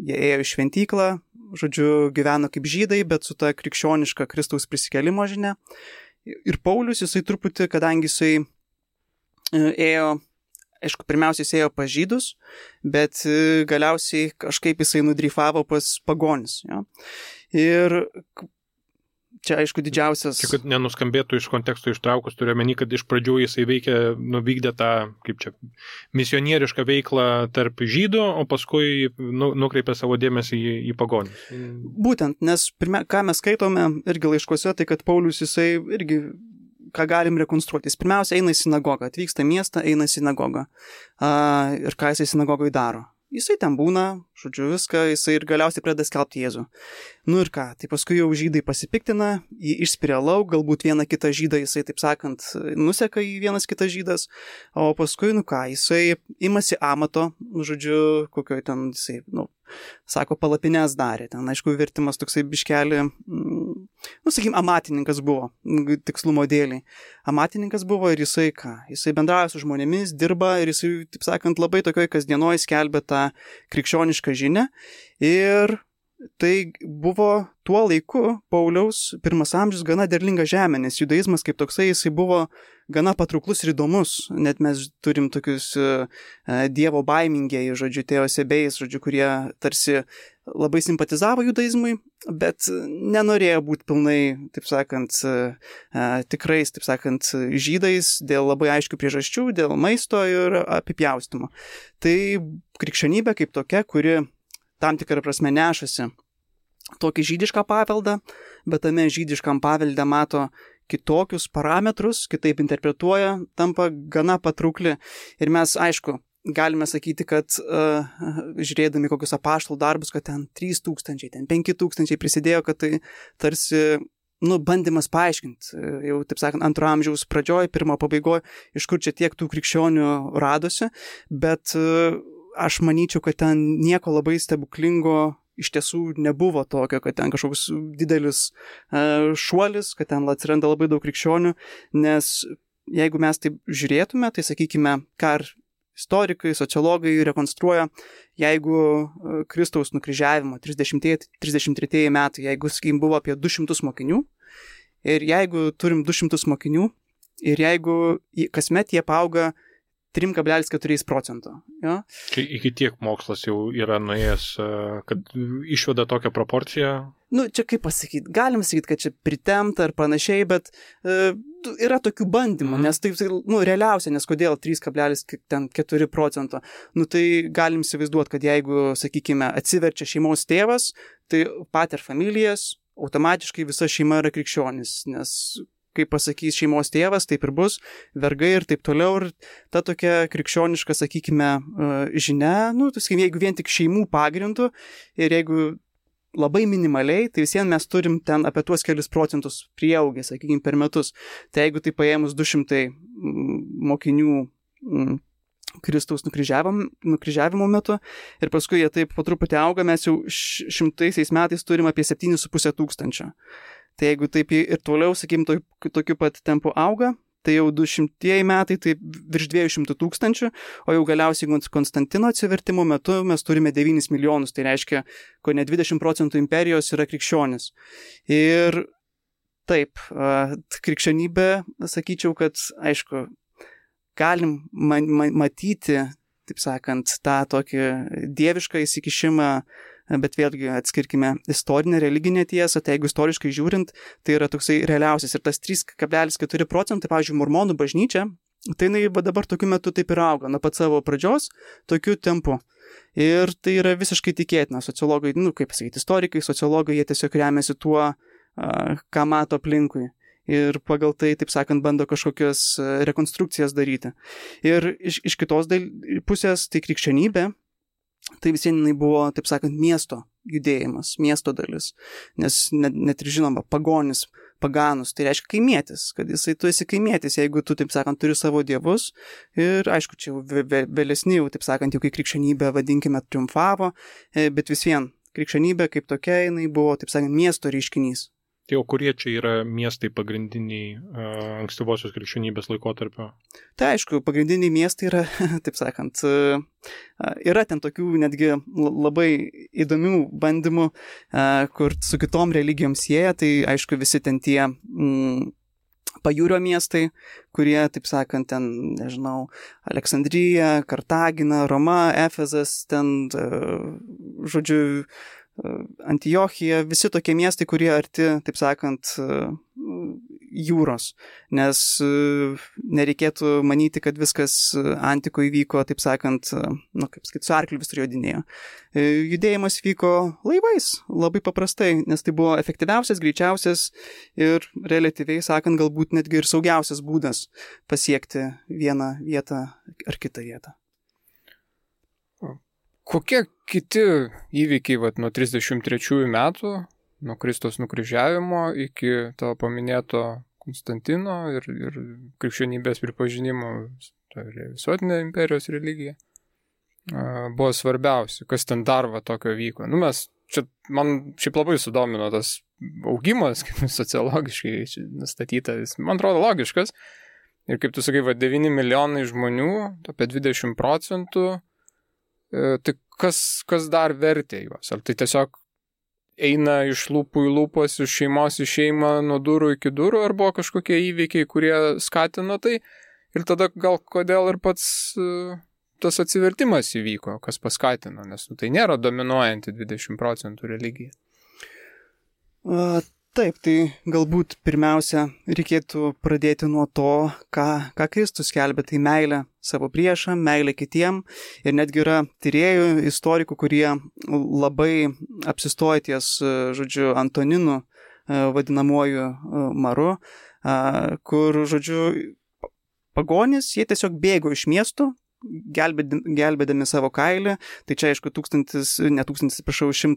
jie ėjo į šventyklą, gyveno kaip žydai, bet su ta krikščioniška Kristaus prisikėlimo žinia. Ir Paulius, jisai truputį, kadangi jisai ėjo, aišku, pirmiausiai jis ėjo pas žydus, bet galiausiai kažkaip jisai nudryfavo pas pagonis. Ja? Ir čia, aišku, didžiausias... Čia, kad nenuskambėtų iš konteksto ištraukus, turiu omeny, kad iš pradžių jisai vykdė tą, misionierišką veiklą tarp žydų, o paskui nukreipė savo dėmesį į pagonis. Būtent, nes ką mes skaitome irgi laiškuose, tai kad Paulius jisai irgi, ką galim rekonstruoti. Jis pirmiausia eina į sinagogą, atvyksta į miestą, eina į sinagogą. Ir ką jisai sinagogoje daro? Jisai ten būna, viską, jisai ir galiausiai pradeda skelbti Jėzų. Ir ką, tai paskui jau žydai pasipiktina, jį išspiria lauk, galbūt vieną kitą žydą jisai, taip sakant, nuseka į vienas kitas žydas, o paskui, jisai imasi amato, kokioj ten jisai, sako, palapines darė. Ten, aišku, vertimas toksai biškelį amatininkas buvo, tikslumo dėliai. Amatininkas buvo ir jisai Jisai bendrauja su žmonėmis, dirba ir jisai, taip sakant, labai tokioj kasdienoj skelbia tą krikščionišką žinią. Ir tai buvo tuo laiku Pauliaus 1 amžius gana derlinga žemė, nes judaizmas kaip toksai jisai buvo gana patrauklus ir įdomus. Net mes turim tokius dievo baimingieji, žodžiu, teosebėjais, žodžiu, kurie tarsi labai simpatizavo judaizmui, bet nenorėjo būti pilnai, taip sakant, tikrais, taip sakant, žydais dėl labai aiškių priežasčių, dėl maisto ir apipjaustymo. Tai krikščionybė kaip tokia, kuri tam tikrą prasme nešasi tokį žydišką paveldą, bet tame žydiškam pavelde mato kitokius parametrus, kitaip interpretuoja, tampa gana patraukli. Ir mes, aišku, galime sakyti, kad žiūrėdami kokius apaštalų darbus, kad ten 3000, ten 5000 prisidėjo, kad tai tarsi bandymas paaiškinti, jau, taip sakant, 2 amžiaus pradžioj, 1 pabaigoj, iš kur čia tiek tų krikščionių radosi, bet aš manyčiau, kad ten nieko labai stebuklingo iš tiesų nebuvo tokio, kad ten kažkoks didelis šuolis, kad ten atsiranda labai daug krikščionių, nes jeigu mes taip žiūrėtume, tai sakykime, ką ir istorikai, sociologai rekonstruoja, jeigu Kristaus nukryžiavimo 33 metai, jeigu, sakykim, buvo apie 200 mokinių, ir jeigu turim 200 mokinių, ir jeigu kasmet jie paauga 3,4%. Ja? Iki tiek mokslas jau yra nuėjęs, kad išveda tokią proporciją? Čia kaip pasakyti, galim sakyti, kad čia pritemta ar panašiai, bet yra tokių bandymų, nes tai realiausia, nes kodėl 3,4%. Tai galim įsivaizduoti, kad jeigu, sakykime, atsiverčia šeimos tėvas, tai pater familijas, automatiškai visa šeima yra krikščionis, nes kaip pasakys šeimos tėvas, taip ir bus, vergai ir taip toliau. Ir ta tokia krikščioniška, sakykime, žinia, jeigu vien tik šeimų pagrindų ir jeigu labai minimaliai, tai visien mes turim ten apie tuos kelius procentus prieaugę, sakykime, per metus. Tai jeigu tai paėmus 200 mokinių Kristaus nukryžiavimo metu ir paskui jie taip po truputį auga, mes jau 100 metais turim apie 7,5 tūkstančio. Tai jeigu taip ir toliau, sakykim, tokiu pat tempu auga, tai jau 200 metai, tai virš 200 tūkstančių, o jau galiausiai Konstantino atsivertimo metu mes turime 9 milijonus, tai reiškia, ko ne 20% imperijos yra krikščionis. Ir taip, krikščionybė, sakyčiau, kad, aišku, galim matyti, taip sakant, tą tokį dievišką įsikišimą, bet vėlgi atskirkime istorinę, religinę tiesą, tai jeigu istoriškai žiūrint, tai yra toksai realiausias. Ir tas 3,4%, pavyzdžiui, mormonų bažnyčia, tai dabar tokiu metu taip ir auga, nuo pat savo pradžios, tokiu tempu. Ir tai yra visiškai tikėtina. Sociologai, kaip pasakyti, istorikai, sociologai, jie tiesiog remiasi tuo, ką mato aplinkui. Ir pagal tai, taip sakant, bando kažkokias rekonstrukcijas daryti. Ir iš kitos pusės, tai krikščionybė, tai visienai buvo, taip sakant, miesto judėjimas, miesto dalis. Nes net ir žinoma, pagonis, paganus, tai reiškia kaimietis, kad tu esi kaimietis, jeigu tu, taip sakant, turi savo dievus. Ir aišku, čia vėlesni jau, taip sakant, jau kai krikščionybė, vadinkime, triumfavo, bet vis vien, krikščionybė kaip tokia, jinai buvo, taip sakant, miesto reiškinys. Tai o kurie čia yra miestai pagrindiniai ankstyvosios krikščionybės laikotarpio? Tai aišku, pagrindiniai miestai yra, taip sakant, yra ten tokių netgi labai įdomių bandymų, kur su kitom religijom sieja, tai aišku visi ten tie pajūrio miestai, kurie, taip sakant, ten, nežinau, Aleksandrija, Kartagina, Roma, Efezas, ten, žodžiu, Antiochija, visi tokie miestai, kurie arti, taip sakant, jūros, nes nereikėtų manyti, kad viskas antikoje vyko, taip sakant, kaip sakyti, su arkliu visur jodinėjo. Judėjimas vyko laivais, labai paprastai, nes tai buvo efektyviausias, greičiausias ir relatyviai sakant, galbūt netgi ir saugiausias būdas pasiekti vieną vietą ar kitą vietą. Kokie kiti įvykiai nuo 33 metų, nuo Kristaus nukryžiavimo iki tavo paminėto Konstantino ir krikščionybės pripažinimo, tai visuotinė imperijos religija, buvo svarbiausi, kas ten dar tokio vyko? Mes čia man šiaip labai sudomino tas augimas, kaip sociologiškai nustatyta, man atrodo logiškas. Ir kaip tu sakai, 9 milijonai žmonių, apie 20%, tai kas dar vertė juos? Ar tai tiesiog eina iš lūpų į lūpas, iš šeimos į šeimą, nuo durų iki durų, ar buvo kažkokie įvykiai, kurie skatino tai? Ir tada gal kodėl ir pats tas atsivertimas įvyko, kas paskatino, nes tai nėra dominuojanti 20% religija. Taip, tai galbūt pirmiausia reikėtų pradėti nuo to, ką Kristus skelbė, tai meilė savo priešam, meilė kitiem. Ir netgi yra tyrėjų, istorikų, kurie labai apsistoja ties, žodžiu, Antoninu, vadinamuoju Maru, kur, žodžiu, pagonys, jie tiesiog bėgo iš miestų, gelbėdami savo kailį. Tai čia, aišku, 168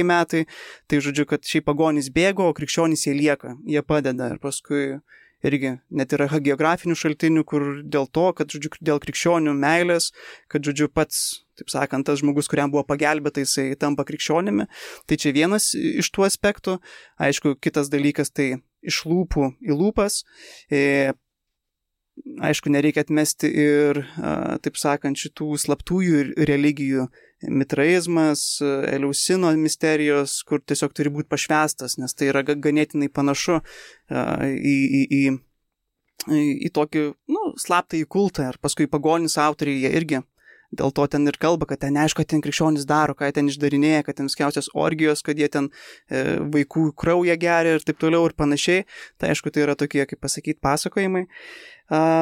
metai. Tai, žodžiu, kad šiaip pagonys bėgo, o krikščionys jie lieka, jie padeda. Ir paskui irgi net yra geografinių šaltinių, kur dėl to, kad, žodžiu, dėl krikščionių meilės, kad, žodžiu, pats, taip sakant, tas žmogus, kuriam buvo pagelbėta, jisai tampa krikščionimi. Tai čia vienas iš tų aspektų. Aišku, kitas dalykas, tai iš lūpų į lūpas. Aišku, nereikia atmesti ir, taip sakant, šitų slaptųjų religijų, mitraizmas, Eleusino misterijos, kur tiesiog turi būti pašvestas, nes tai yra ganėtinai panašu į tokį, slaptąjį kultą. Ir paskui pagonys autoriai, jie irgi dėl to ten ir kalba, kad ten neaišku, kad ten krikščionys daro, ką jie ten išdarinėja, kad ten viskiausios orgijos, kad jie ten vaikų kraują geria ir taip toliau ir panašiai. Tai aišku, tai yra tokie, kaip pasakyti, pasakojimai.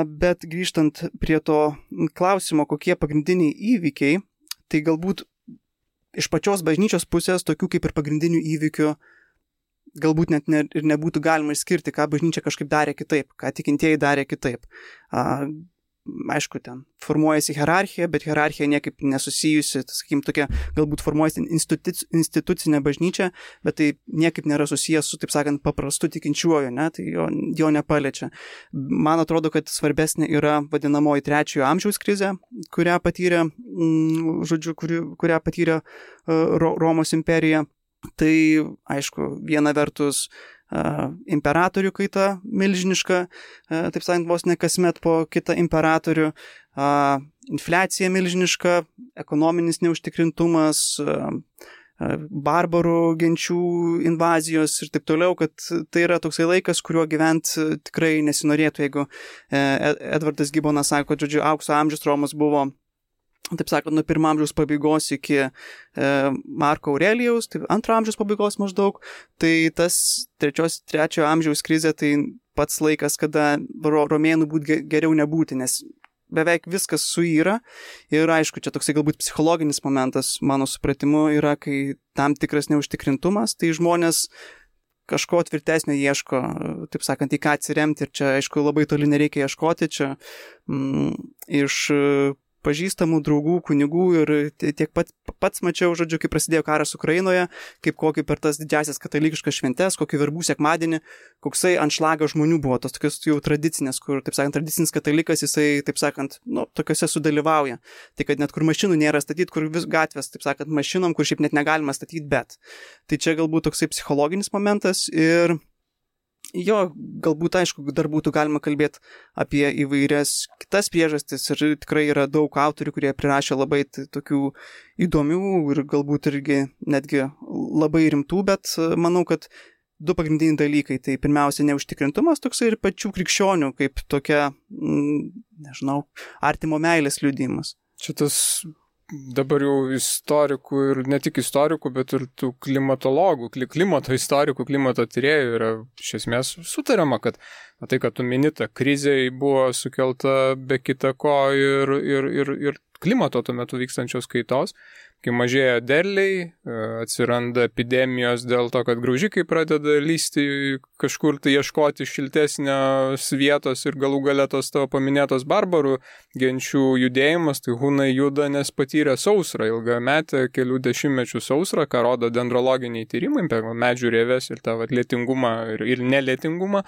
Bet grįžtant prie to klausimo, kokie pagrindiniai įvykiai, tai galbūt iš pačios bažnyčios pusės tokių kaip ir pagrindinių įvykių galbūt net ir nebūtų galima išskirti, ką bažnyčia kažkaip darė kitaip, ką tikintieji darė kitaip. Aišku, ten formuojasi hierarchija, bet hierarchija niekaip nesusijusi, sakykim, tokia galbūt formuojasi institucinė bažnyčia, bet tai niekaip nėra susijęs su, taip sakant, paprastu tikinčiuoju, ne? Tai jo nepaliečia. Man atrodo, kad svarbesnė yra vadinamoji 3 amžiaus krizė, kurią patyrė, žodžiu, kurią patyrė Romos imperija. Tai, aišku, viena vertus imperatorių kaita milžiniška, taip sakant, vos ne kasmet po kitą imperatorių, infliacija milžiniška, ekonominis neužtikrintumas, barbarų genčių invazijos ir taip toliau, kad tai yra toksai laikas, kuriuo gyventi tikrai nesinorėtų, jeigu Edvardas Gibbonas sako, kad, žodžiu, aukso amžius Romos buvo, taip sakant, nuo 1 amžiaus pabaigos iki Marko Aurelijaus, tai 2 amžiaus pabaigos maždaug, tai tas 3 amžiaus krizė, tai pats laikas, kada romėnų būtų geriau nebūti, nes beveik viskas suyra ir aišku, čia toksai galbūt psichologinis momentas, mano supratimu, yra, kai tam tikras neužtikrintumas, tai žmonės kažko tvirtesnio ieško, taip sakant, į ką atsiremti ir čia, aišku, labai toli nereikia ieškoti, čia iš pažįstamų draugų, kunigų ir tiek pats mačiau, žodžiu, kai prasidėjo karas Ukrainoje, kaip kokį per tas didžiasias katalikiškas šventes, kokį verbų sekmadienį, koksai anšlagas žmonių buvo, tos tokios jau tradicinės, kur, taip sakant, tradicinis katalikas, jisai, taip sakant, tokiuose sudalyvauja. Tai kad net kur mašinų nėra statyti, kur vis gatvės, taip sakant, mašinom, kur šiaip net negalima statyti, bet. Tai čia galbūt toksai psichologinis momentas ir jo, galbūt, aišku, dar būtų galima kalbėti apie įvairias kitas priežastis ir tikrai yra daug autorių, kurie prirašė labai tokių įdomių ir galbūt irgi netgi labai rimtų, bet manau, kad 2 pagrindiniai dalykai, tai pirmiausia neužtikrintumas toksai ir pačių krikščionių kaip tokia, nežinau, artimo meilės liudijimas. Šitas dabar jau istorikų ir ne tik istorikų, bet ir tų klimatologų, klimato istorikų, klimato tyrėjų yra iš esmės sutariama, kad tai, kad tu minita krizė buvo sukelta be kita ko ir klimato tuo metu vykstančios kaitos, kai mažėja derliai, atsiranda epidemijos dėl to, kad graužikai pradeda lysti kažkur tai ieškoti šiltesnės vietos ir galų gale tos tavo paminėtos barbarų genčių judėjimas, tai hunai juda, nes patyrė sausrą, ilgametę kelių dešimtmečių sausrą, ką rodo dendrologiniai tyrimai, medžių rieves ir tą lietingumą ir nelietingumą.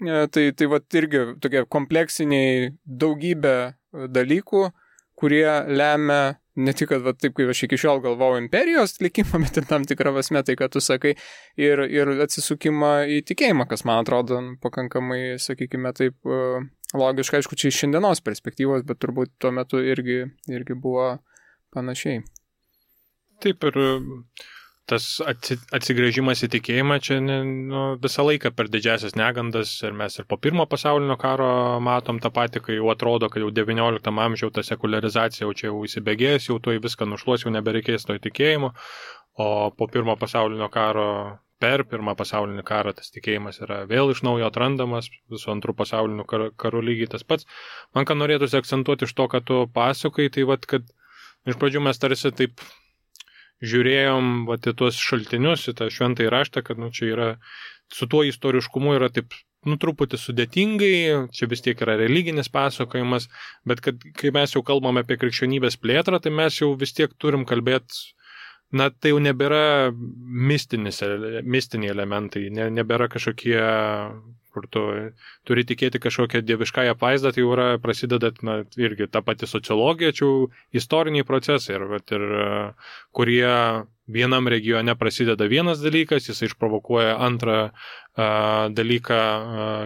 Tai irgi tokie kompleksiniai daugybė dalykų, kurie lemia ne tik, kad va, taip, kaip aš iki šiol galvojau imperijos likimą, bet ir tam tikrą prasme tai, kad tu sakai, ir atsisukimą į tikėjimą, kas man atrodo pakankamai, sakykime, taip logiška, aišku, čia iš šiandienos perspektyvos, bet turbūt tuo metu irgi buvo panašiai. Taip, ir tas atsigręžimas į tikėjimą čia visą laiką per didžiasias negandas, ir mes ir po pirmo pasaulinio karo matom tą patį, kai jau atrodo, kad jau 19 amžiaus ta sekularizacija jau čia jau įsibėgės, jau to į viską nušluos, jau nebereikės to įtikėjimo, o po pirmo pasaulinio karo, per pirmą pasaulinį karą tas tikėjimas yra vėl iš naujo atrandamas, visų antrų pasaulinių karų lygiai tas pats. Man ką norėtųsi akcentuoti iš to, kad tu pasakai, tai vat, kad iš pradžių mes tarsi taip žiūrėjom vat, į tuos šaltinius, į tą šventąjį raštą, kad čia yra, su tuo istoriškumu yra taip, truputį sudėtingai, čia vis tiek yra religinis pasakojimas, bet kad kai mes jau kalbame apie krikščionybės plėtrą, tai mes jau vis tiek turim kalbėti, tai jau nebėra mistiniai elementai, nebėra kažkokie, kur tu turi tikėti kažkokią dieviškąją apvaizdą, tai jau yra prasideda irgi ta pati sociologija, čia jau istoriniai procesai, ir kurie vienam regione prasideda vienas dalykas, jis išprovokuoja antrą dalyką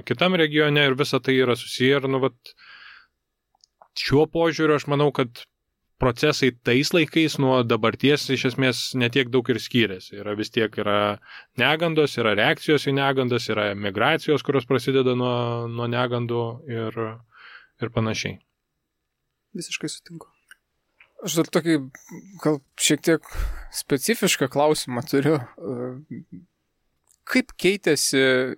kitam regione ir visa tai yra susiję. Ir šiuo požiūriu aš manau, kad procesai tais laikais nuo dabarties iš esmės netiek daug ir skiriasi. Vis tiek yra negandos, yra reakcijos į negandas, yra migracijos, kurios prasideda nuo negandų ir panašiai. Visiškai sutinku. Aš dar tokį gal šiek tiek specifišką klausimą turiu. Kaip keitėsi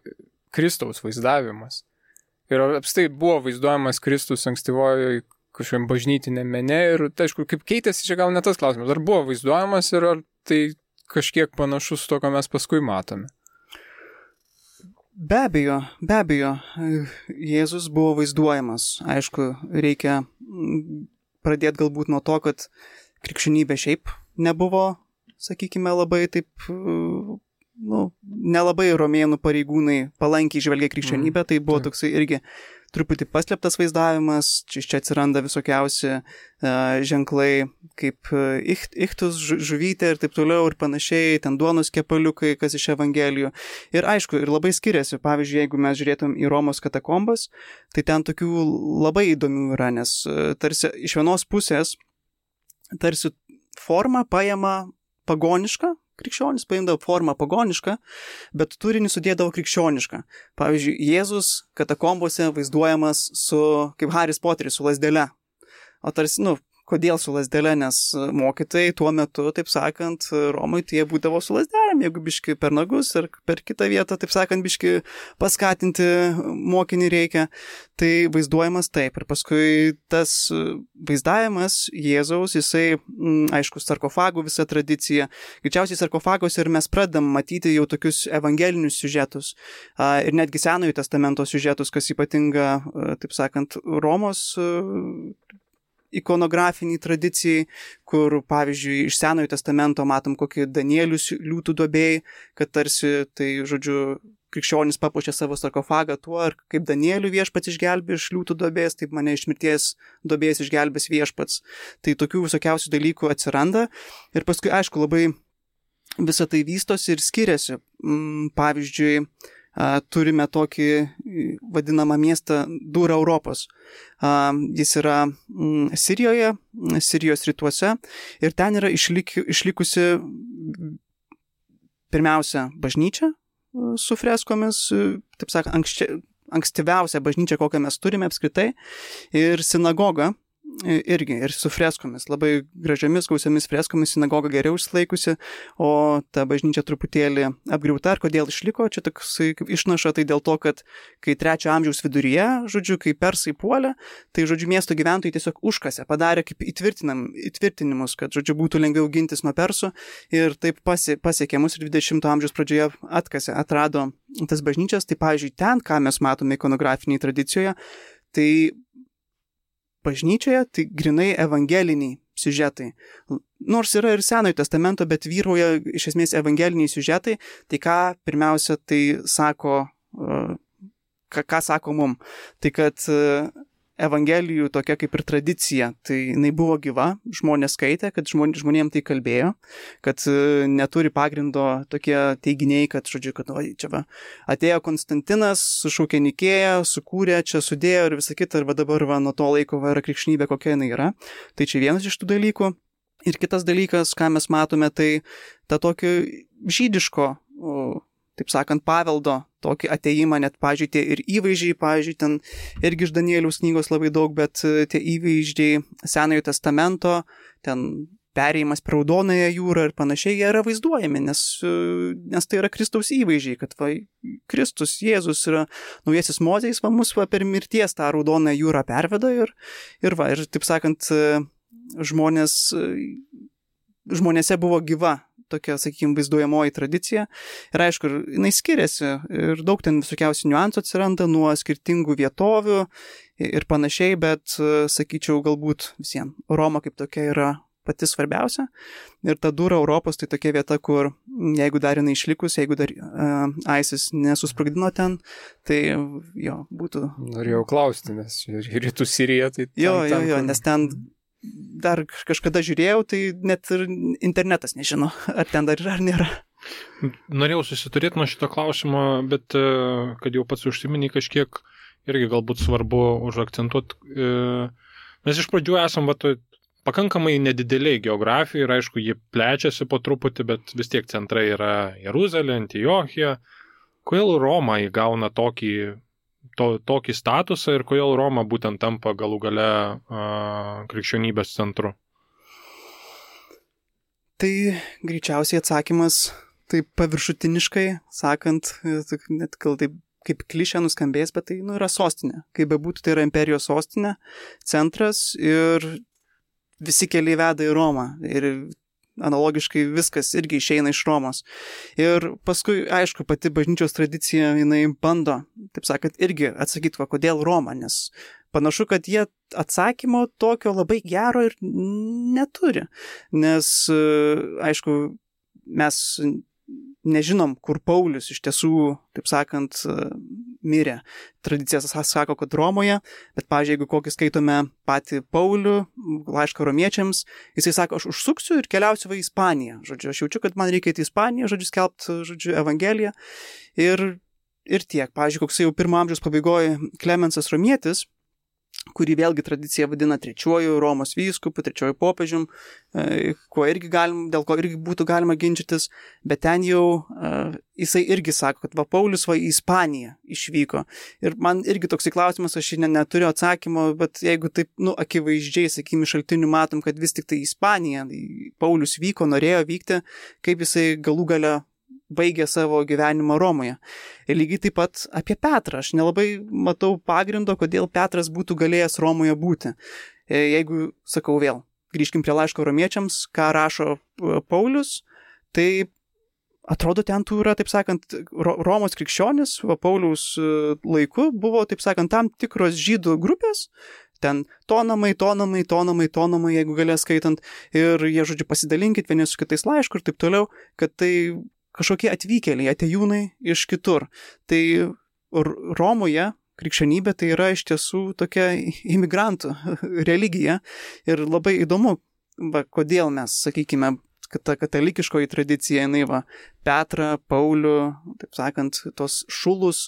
Kristaus vaizdavimas? Ir apstai buvo vaizduojamas Kristus ankstyvojoje kažkokiam bažnytiniam mene ir, tai aišku, kaip keitėsi, čia gal ne tas klausimas. Ar buvo vaizduojamas ir ar tai kažkiek panašus to, ką mes paskui matome? Be abejo, Jėzus buvo vaizduojamas. Aišku, reikia pradėti galbūt nuo to, kad krikščionybė šiaip nebuvo, sakykime, labai taip, nelabai romėnų pareigūnai palankiai žvelgia krikščionybę, tai buvo toksai irgi truputį paslėptas vaizdavimas, čia atsiranda visokiausi ženklai kaip ichtus, žuvytė ir taip toliau ir panašiai, ten duonos kepaliukai, kas iš Evangelijų. Ir aišku, ir labai skiriasi. Pavyzdžiui, jeigu mes žiūrėtum į Romos katakombas, tai ten tokių labai įdomių yra, nes tarsi iš vienos pusės tarsi forma paima pagonišką, krikščionis paimdavo formą pagonišką, bet turinį sudėdavo krikščionišką. Pavyzdžiui, Jėzus katakombose vaizduojamas kaip Haris Poteris su lazdele. O tarsi, kodėl su lazdele, nes mokytojai tuo metu, taip sakant, Romui tai jie būdavo su lazdelėm, jeigu biški per nagus ir per kitą vietą, taip sakant, biški paskatinti mokinį reikia. Tai vaizduojamas taip. Ir paskui tas vaizdavimas Jėzaus, jisai, aišku, sarkofagų visa tradicija. Greičiausiai sarkofagos ir mes pradedam matyti jau tokius evangelinius siužetus ir netgi Senojo testamento siužetus, kas ypatinga, taip sakant, Romos ikonografiniai tradicijai, kur, pavyzdžiui, iš Senojo testamento matom kokį Danielių liūtų duobėjai, kad tarsi, tai, žodžiu, krikščionis papuošė savo sarkofagą tuo, ir kaip Danielių viešpats išgelbė iš liūtų duobės, taip mane iš mirties duobės išgelbės viešpats. Tai tokių visokiausių dalykų atsiranda ir paskui, aišku, labai visą tai vystosi ir skiriasi. Pavyzdžiui, turime tokį vadinamą miestą Dura Europos. Jis yra Sirijoje, Sirijos rytuose ir ten yra išlikusi pirmiausia bažnyčia su freskomis, taip sakant, ankstyviausia bažnyčia, kokią mes turime apskritai, ir sinagoga irgi, ir su freskomis, labai gražiamis, gausiamis freskomis, sinagoga geriau išlaikusi, o ta bažnyčia truputėlį apgriauta. Ir kodėl išliko, čia toksai išnaša, tai dėl to, kad kai 3 amžiaus viduryje, žodžiu, kai persai puolė, tai, žodžiu, miesto gyventojai tiesiog užkasė, padarė kaip įtvirtinimus, kad, žodžiu, būtų lengviau gintis nuo persų, ir taip pasiekė mus ir 20 amžiaus pradžioje atrado tas bažnyčias. Tai, pavyzdžiui, ten, ką mes matome ikonografinėje tradicijoje, tai bažnyčioje tai grinai evangeliniai siužetai. Nors yra ir Senojo testamento, bet vyrauja iš esmės evangeliniai siužetai. Tai ką pirmiausia tai sako, ką sako mum? Tai kad evangelijų tokia kaip ir tradicija, tai jinai buvo gyva, žmonės skaitė, kad žmonėm tai kalbėjo, kad neturi pagrindo tokie teiginiai, kad, žodžiu, kad čia va, atėjo Konstantinas, sušaukė Nikėją, sukūrė, čia sudėjo ir visą kitą, ir va dabar va, nuo to laiko va, yra krikščionybė, kokia jinai yra. Tai čia vienas iš tų dalykų. Ir kitas dalykas, ką mes matome, tai ta tokio žydiško, taip sakant, paveldo, tokį ateimą, net, pavyzdžiui, tie ir įvaizdžiai, pavyzdžiui, ten irgi iš Danieliaus knygos labai daug, bet tie įvaizdžiai Senojo testamento, ten perėjimas per Raudonąją jūrą ir panašiai, jie yra vaizduojami, nes tai yra Kristaus įvaizdžiai, kad va, Kristus, Jėzus yra naujasis Mozės, va, mus va, per mirties tą Raudonąją jūrą perveda ir taip sakant, žmonėse buvo gyva tokia, sakykime, vaizduojamoji tradicija. Ir aišku, jinai skiriasi ir daug ten visokiausių niuansų atsiranda nuo skirtingų vietovių ir panašiai, bet, sakyčiau, galbūt visiems Roma kaip tokia yra pati svarbiausia. Ir ta dura Europos tai tokia vieta, kur jeigu dar jinai išlikus, jeigu dar ISIS nesusprogdino ten, tai jo, būtų... Norėjau klausti, nes rytų Sirija tai... Jo, nes ten dar kažkada žiūrėjau, tai net ir internetas nežino, ar ten dar yra, ar nėra. Norėjau susiturėti nuo šito klausimo, bet kad jau pats užsiminį kažkiek irgi galbūt svarbu užakcentuoti. Mes iš pradžių esam pakankamai nedideliai geografijai ir aišku, ji plečiasi po truputį, bet vis tiek centrai yra Jeruzalė, Antiochija. Kodėl Roma įgauna tokį statusą ir kodėl Roma būtent tampa galų gale krikščionybės centru? Tai greičiausiai atsakymas taip paviršutiniškai, sakant, net gal taip kaip klišė nuskambės, bet tai yra sostinė. Kaip bebūtų, tai yra imperijos sostinė, centras ir visi keliai veda į Romą. Ir analogiškai viskas irgi išeina iš Romos. Ir paskui, aišku, pati bažnyčios tradicija, jinai bando, taip sakant, irgi atsakyti, kodėl Roma, nes panašu, kad jie atsakymo tokio labai gero ir neturi. Nes, aišku, mes nežinom, kur Paulius iš tiesų, taip sakant, mirė. Tradicijas sako, kad Romoje, bet, pavyzdžiui, jeigu kokį skaitome patį Paulių, laišką romiečiams, jisai sako, aš užsuksiu ir keliausiu į Ispaniją. Žodžiu, aš jaučiu, kad man reikia į Ispaniją, skelbti, Evangeliją. Ir tiek. Pavyzdžiui, koks jau 1 amžiaus pabaigoje Klemensas Romietis, kurį vėlgi tradicija vadina 3 Romos vyskupu, 3 popiežium, dėl ko irgi būtų galima ginčytis, bet ten jau jisai irgi sako, kad Paulius į Ispaniją išvyko. Ir man irgi toksai klausimas, aš neturiu atsakymo, bet jeigu taip, akivaizdžiai, sakykime, šaltinių matom, kad vis tik tai Ispanija, Paulius vyko, norėjo vykti, kaip jisai galų gale baigė savo gyvenimą Romoje. Ir lygiai taip pat apie Petrą. Aš nelabai matau pagrindo, kodėl Petras būtų galėjęs Romoje būti. Jeigu, sakau vėl, grįžkim prie laiško romiečiams, ką rašo Paulius, tai atrodo ten tų yra, taip sakant, Romos krikščionis, Pauliaus laiku buvo, taip sakant, tam tikros žydų grupės, ten tonamai, jeigu galės skaitant, ir jie, žodžiu, pasidalinkit vieni su kitais laišku ir taip toliau, kad tai kažkokie atvykėliai, atėjūnai iš kitur. Tai Romoje krikščionybė tai yra iš tiesų tokia imigrantų religija ir labai įdomu, kodėl mes, sakykime, kad ta katalikiškoji tradicija, Petrą, Paulių, taip sakant, tos šulus,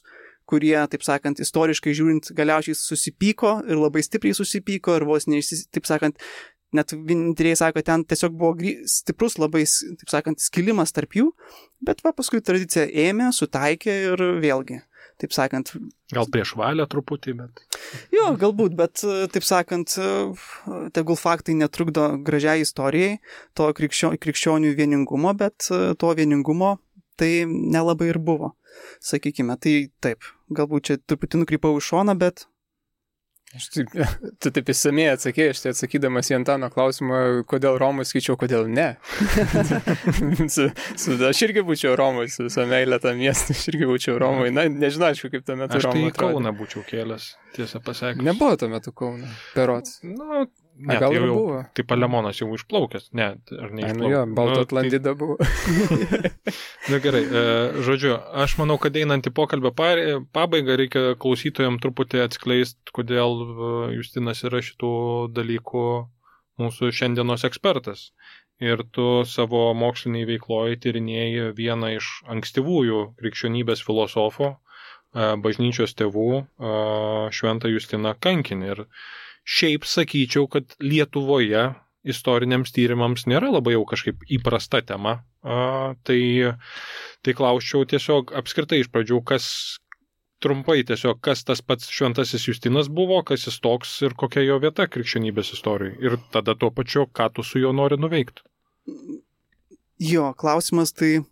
kurie, taip sakant, istoriškai žiūrint, galiausiai susipyko ir labai stipriai susipyko ir vos taip sakant, net vieninteliai sako, ten tiesiog buvo stiprus labai, taip sakant, skilimas tarp jų, bet paskui tradicija ėmė, sutaikė ir vėlgi, taip sakant... Gal prieš valią truputį, bet... Jo, galbūt, bet, taip sakant, tegul faktai netrukdo gražiai istorijai, to krikščionių vieningumo, bet to vieningumo tai nelabai ir buvo, sakykime. Tai taip, galbūt čia truputį nukrypau į šoną, bet... Tu taip įsamei atsakėjai, aš tai atsakydamas į Antano klausimą, kodėl Romui, skaičiau, kodėl ne. Aš irgi būčiau Romui, su visą meilę tą miestą, aš irgi būčiau Romui. Na, nežinau, aišku, kaip tuo metu Romui atrodė. Aš tai Kauną būčiau kėlęs, tiesą pasakius. Nebuvo tuo metu Kauną, berods. Ne, gal tai ir jau, buvo. tai Palemonas jau išplaukęs. Ne, ar ne išplaukęs? Jo, Baltų Atlantida buvo. Na gerai, žodžiu, aš manau, kad einant į pokalbio pabaigą reikia klausytojams truputį atskleisti, kodėl Justinas yra šitų dalykų mūsų šiandienos ekspertas. Ir tu savo moksliniai veikloje tyrinėjai vieną iš ankstyvųjų krikščionybės filosofų, bažnyčios tėvų, Šventą Justiną Kankinį. Ir šiaip sakyčiau, kad Lietuvoje istoriniams tyrimams nėra labai jau kažkaip įprasta tema. Tai klausčiau tiesiog apskritai iš pradžių, trumpai tiesiog, kas tas pats Šventasis Justinas buvo, kas jis toks ir kokia jo vieta krikščionybės istorijai. Ir tada tuo pačiu, ką tu su juo nori nuveikti. Jo, klausimas tai,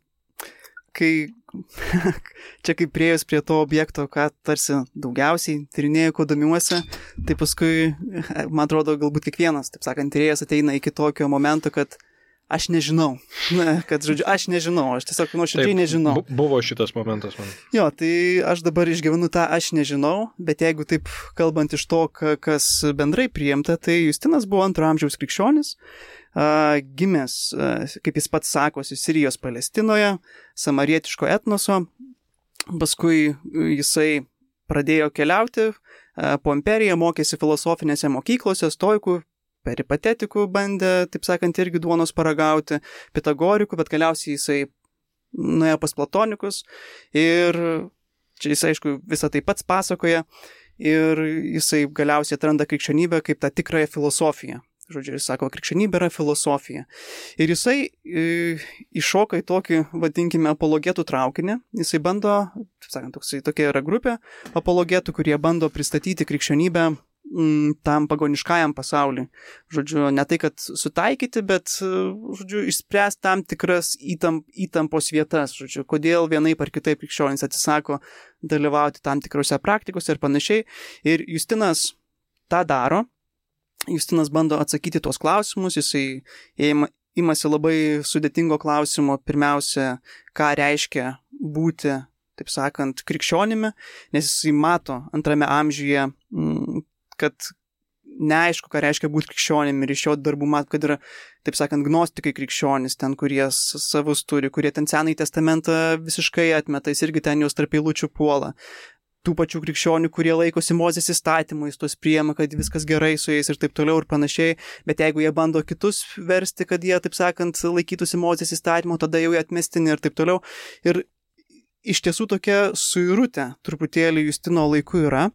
čia kaip priejus prie to objekto, ką tarsi daugiausiai tyrinėjau, ko domiuosi, tai paskui, man atrodo, galbūt kiekvienas, taip sakant, tyrėjas ateina iki tokio momento, kad aš nežinau. Kad, žodžiu, aš nežinau, aš tiesiog nuoširdžiai nežinau. Buvo šitas momentas man. Jo, tai aš dabar išgyvenu tą aš nežinau, bet jeigu taip kalbant iš to, kas bendrai priimta, tai Justinas buvo 2 amžiaus krikščionis, gimęs, kaip jis pats sakosi, Sirijos Palestinoje, samarietiško etnoso, paskui jisai pradėjo keliauti po imperiją, mokėsi filosofinėse mokyklose, stoikų, peripatetikų bandė, taip sakant, irgi duonos paragauti, pitagorikų, bet galiausiai jisai nuėjo pas platonikus ir čia jis, aišku, visą tai pats pasakoja ir jisai galiausiai atranda krikščionybę kaip tą tikrąją filosofiją. Žodžiu, jis sako, krikščionybė yra filosofija. Ir jisai iššoka į tokį, vadinkime, apologetų traukinį. Jisai bando, taip sakant, tokia yra grupė apologetų, kurie bando pristatyti krikščionybę tam pagoniškajam pasauliui. Žodžiu, ne tai, kad sutaikyti, bet, žodžiu, išspręsti tam tikras įtampos vietas. Žodžiu, kodėl vienaip ar kitaip krikščionys atsisako dalyvauti tam tikrose praktikose ir panašiai. Ir Justinas tą daro. Justinas bando atsakyti tuos klausimus, jisai imasi labai sudėtingo klausimo, pirmiausia, ką reiškia būti, taip sakant, krikščionimi, nes jisai mato 2 amžiuje, kad neaišku, ką reiškia būti krikščionimi ir iš jo darbų mato, kad yra, taip sakant, gnostikai krikščionys, ten, kurie savus turi, kurie ten Senąjį testamentą visiškai atmeta, jis irgi ten jos tarp eilučių puola. Tų pačių krikščionių, kurie laikosi Mozės įstatymų, jis tos priima, kad viskas gerai su jais ir taip toliau ir panašiai, bet jeigu jie bando kitus versti, kad jie, taip sakant, laikytųsi Mozės įstatymų, tada jau jie atmestini ir taip toliau. Ir iš tiesų tokia suirutė truputėlį Justino laiku yra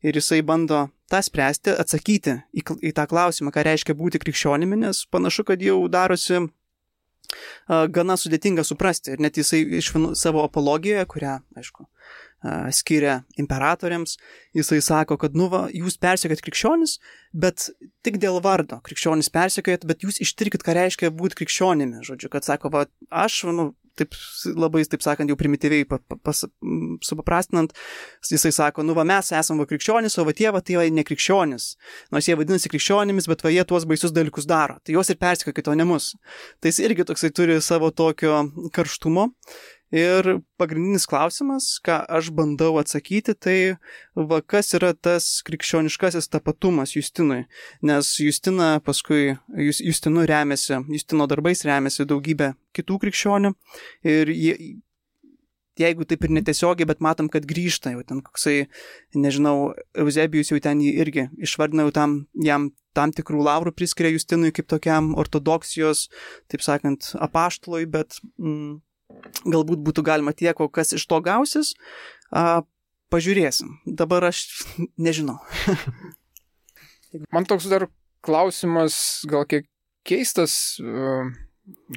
ir jisai bando tą spręsti, atsakyti į tą klausimą, ką reiškia būti krikščionimi, nes panašu, kad jau darosi gana sudėtinga suprasti ir net jisai iš savo apologijoje, kurią, aišku, skiria imperatoriams, jisai sako, kad, jūs persekiojat krikščionis, bet tik dėl vardo krikščionis persekiojat, bet jūs ištirkit, ką reiškia būti krikščionimi, žodžiu, kad sako, aš, taip labai, taip sakant, jau primityviai supaprastinant, jisai sako, mes esam krikščionis, o tie tai ne krikščionis, nors jie vadinasi krikščionimis, bet jie tuos baisius dalykus daro, tai juos ir persekiokit, o ne mus. Tai jis irgi toksai turi savo tokio karštumo. Ir pagrindinis klausimas, ką aš bandau atsakyti, tai kas yra tas krikščioniškasis tapatumas Justinui. Nes Justina paskui, Justino darbais remiasi daugybė kitų krikščionių. Ir jeigu taip ir netiesiogiai, bet matom, kad grįžta jau ten koksai, nežinau, Euzebijus jau ten jį irgi išvardina, jam tam tikrų laurų priskiria Justinui kaip tokiam ortodoksijos, taip sakant, apaštalui, bet galbūt būtų galima tiek, o kas iš to gausis, pažiūrėsim. Dabar aš nežinau. Man toks dar klausimas, gal kiek keistas,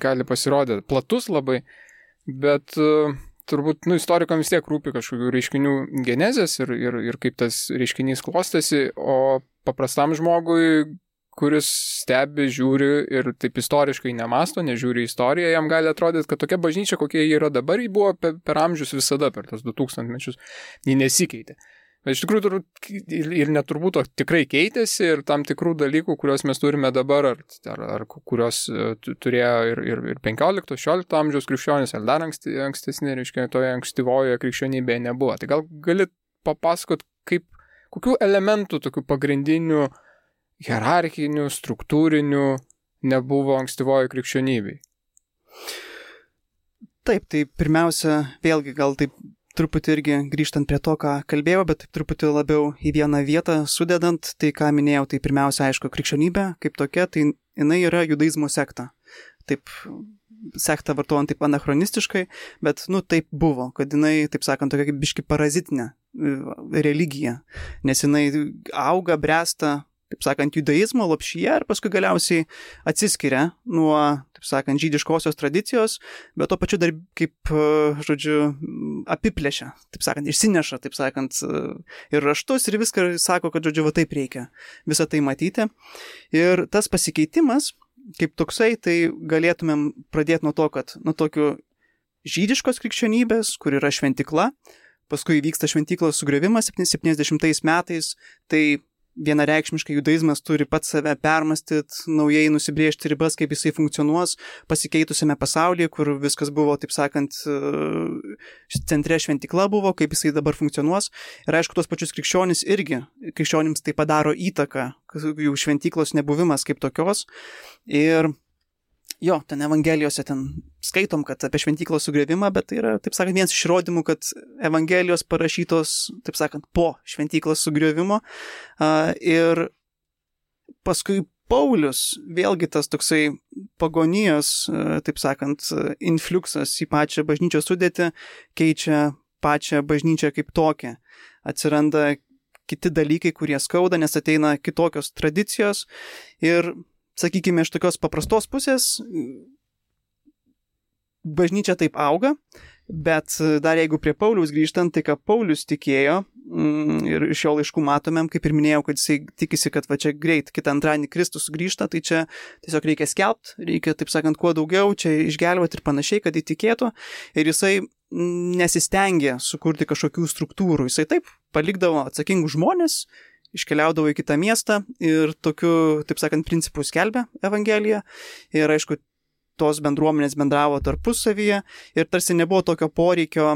gali pasirodyti, platus labai, bet turbūt, istorikams vis tiek rūpi kažkokių reiškinių genezės ir kaip tas reiškinys klostėsi, o paprastam žmogui, kuris stebi, žiūri ir taip istoriškai nemasto, nežiūri istoriją, jam gali atrodyti, kad tokia bažnyčia, kokia ji yra dabar, ji buvo per amžius visada, per tos 2000 mečius, ji nesikeitė. Bet iš tikrųjų ir neturbūt tikrai keitėsi ir tam tikrų dalykų, kuriuos mes turime dabar, ar kurios turėjo ir 15-16 amžiaus krikščionys, ar dar ankstesnė, reiškia, toje ankstyvojoje krikščionybėje nebuvo. Tai gal gali papasakot, kokių elementų tokių pagrindinių hierarchinių, struktūrinių nebuvo ankstyvojo krikščionybei? Taip, tai pirmiausia, vėlgi gal taip truputį irgi grįžtant prie to, ką kalbėjau, bet taip truputį labiau į vieną vietą sudedant, tai ką minėjau, tai pirmiausia, aišku, krikščionybė kaip tokia, tai jinai yra judaizmo sekta. Taip, sekta vartojant taip anachronistiškai, bet, taip buvo, kad jinai, taip sakant, tokia kaip biški parazitinė religija, nes jinai auga, bręsta, taip sakant, judaizmo lopšyje ir paskui galiausiai atsiskiria nuo, taip sakant, žydiškosios tradicijos, bet to pačiu dar kaip, apiplėšia, taip sakant, išsineša, taip sakant, ir raštus ir viską sako, kad, va taip reikia visą tai matyti. Ir tas pasikeitimas, kaip toksai, tai galėtumėm pradėti nuo to, kad nuo tokių žydiškos krikščionybės, kur yra šventikla, paskui vyksta šventiklos sugriovimas 70 metais, tai vienareikšmiškai judaizmas turi pats save permastyti, naujai nusibrėžti ribas, kaip jisai funkcionuos pasikeitusiame pasaulyje, kur viskas buvo, taip sakant, centre šventikla buvo, kaip jisai dabar funkcionuos. Ir aišku, tos pačius krikščionims tai padaro įtaką, jų šventiklos nebuvimas kaip tokios. Ir jo, ten Evangelijose ten skaitom, kad apie šventyklos sugriovimą, bet tai yra, taip sakant, vienas iš įrodymų, kad Evangelijos parašytos, taip sakant, po šventyklos sugriovimo. Ir paskui Paulius, vėlgi tas toksai pagonijos, taip sakant, infliuksas į pačią bažnyčios sudėtį keičia pačią bažnyčią kaip tokią. Atsiranda kiti dalykai, kurie skauda, nes ateina kitokios tradicijos ir sakykime, iš tokios paprastos pusės bažnyčia taip auga, bet dar jeigu prie Pauliaus grįžtant, tai ką Paulius tikėjo ir iš jo laiškų matomėm, kaip ir minėjau, kad jisai tikisi, kad va čia greit kitą antradienį Kristus sugrįžta, tai čia tiesiog reikia skelbti, reikia, taip sakant, kuo daugiau čia išgelbėti ir panašiai, kad įtikėtų. Ir jisai nesistengė sukurti kažkokių struktūrų, jisai taip palikdavo atsakingus žmonės, iškeliaudavo į kitą miestą ir tokiu, taip sakant, principų skelbė Evangeliją. Ir aišku, tos bendruomenės bendravo tarpusavyje ir tarsi nebuvo tokio poreikio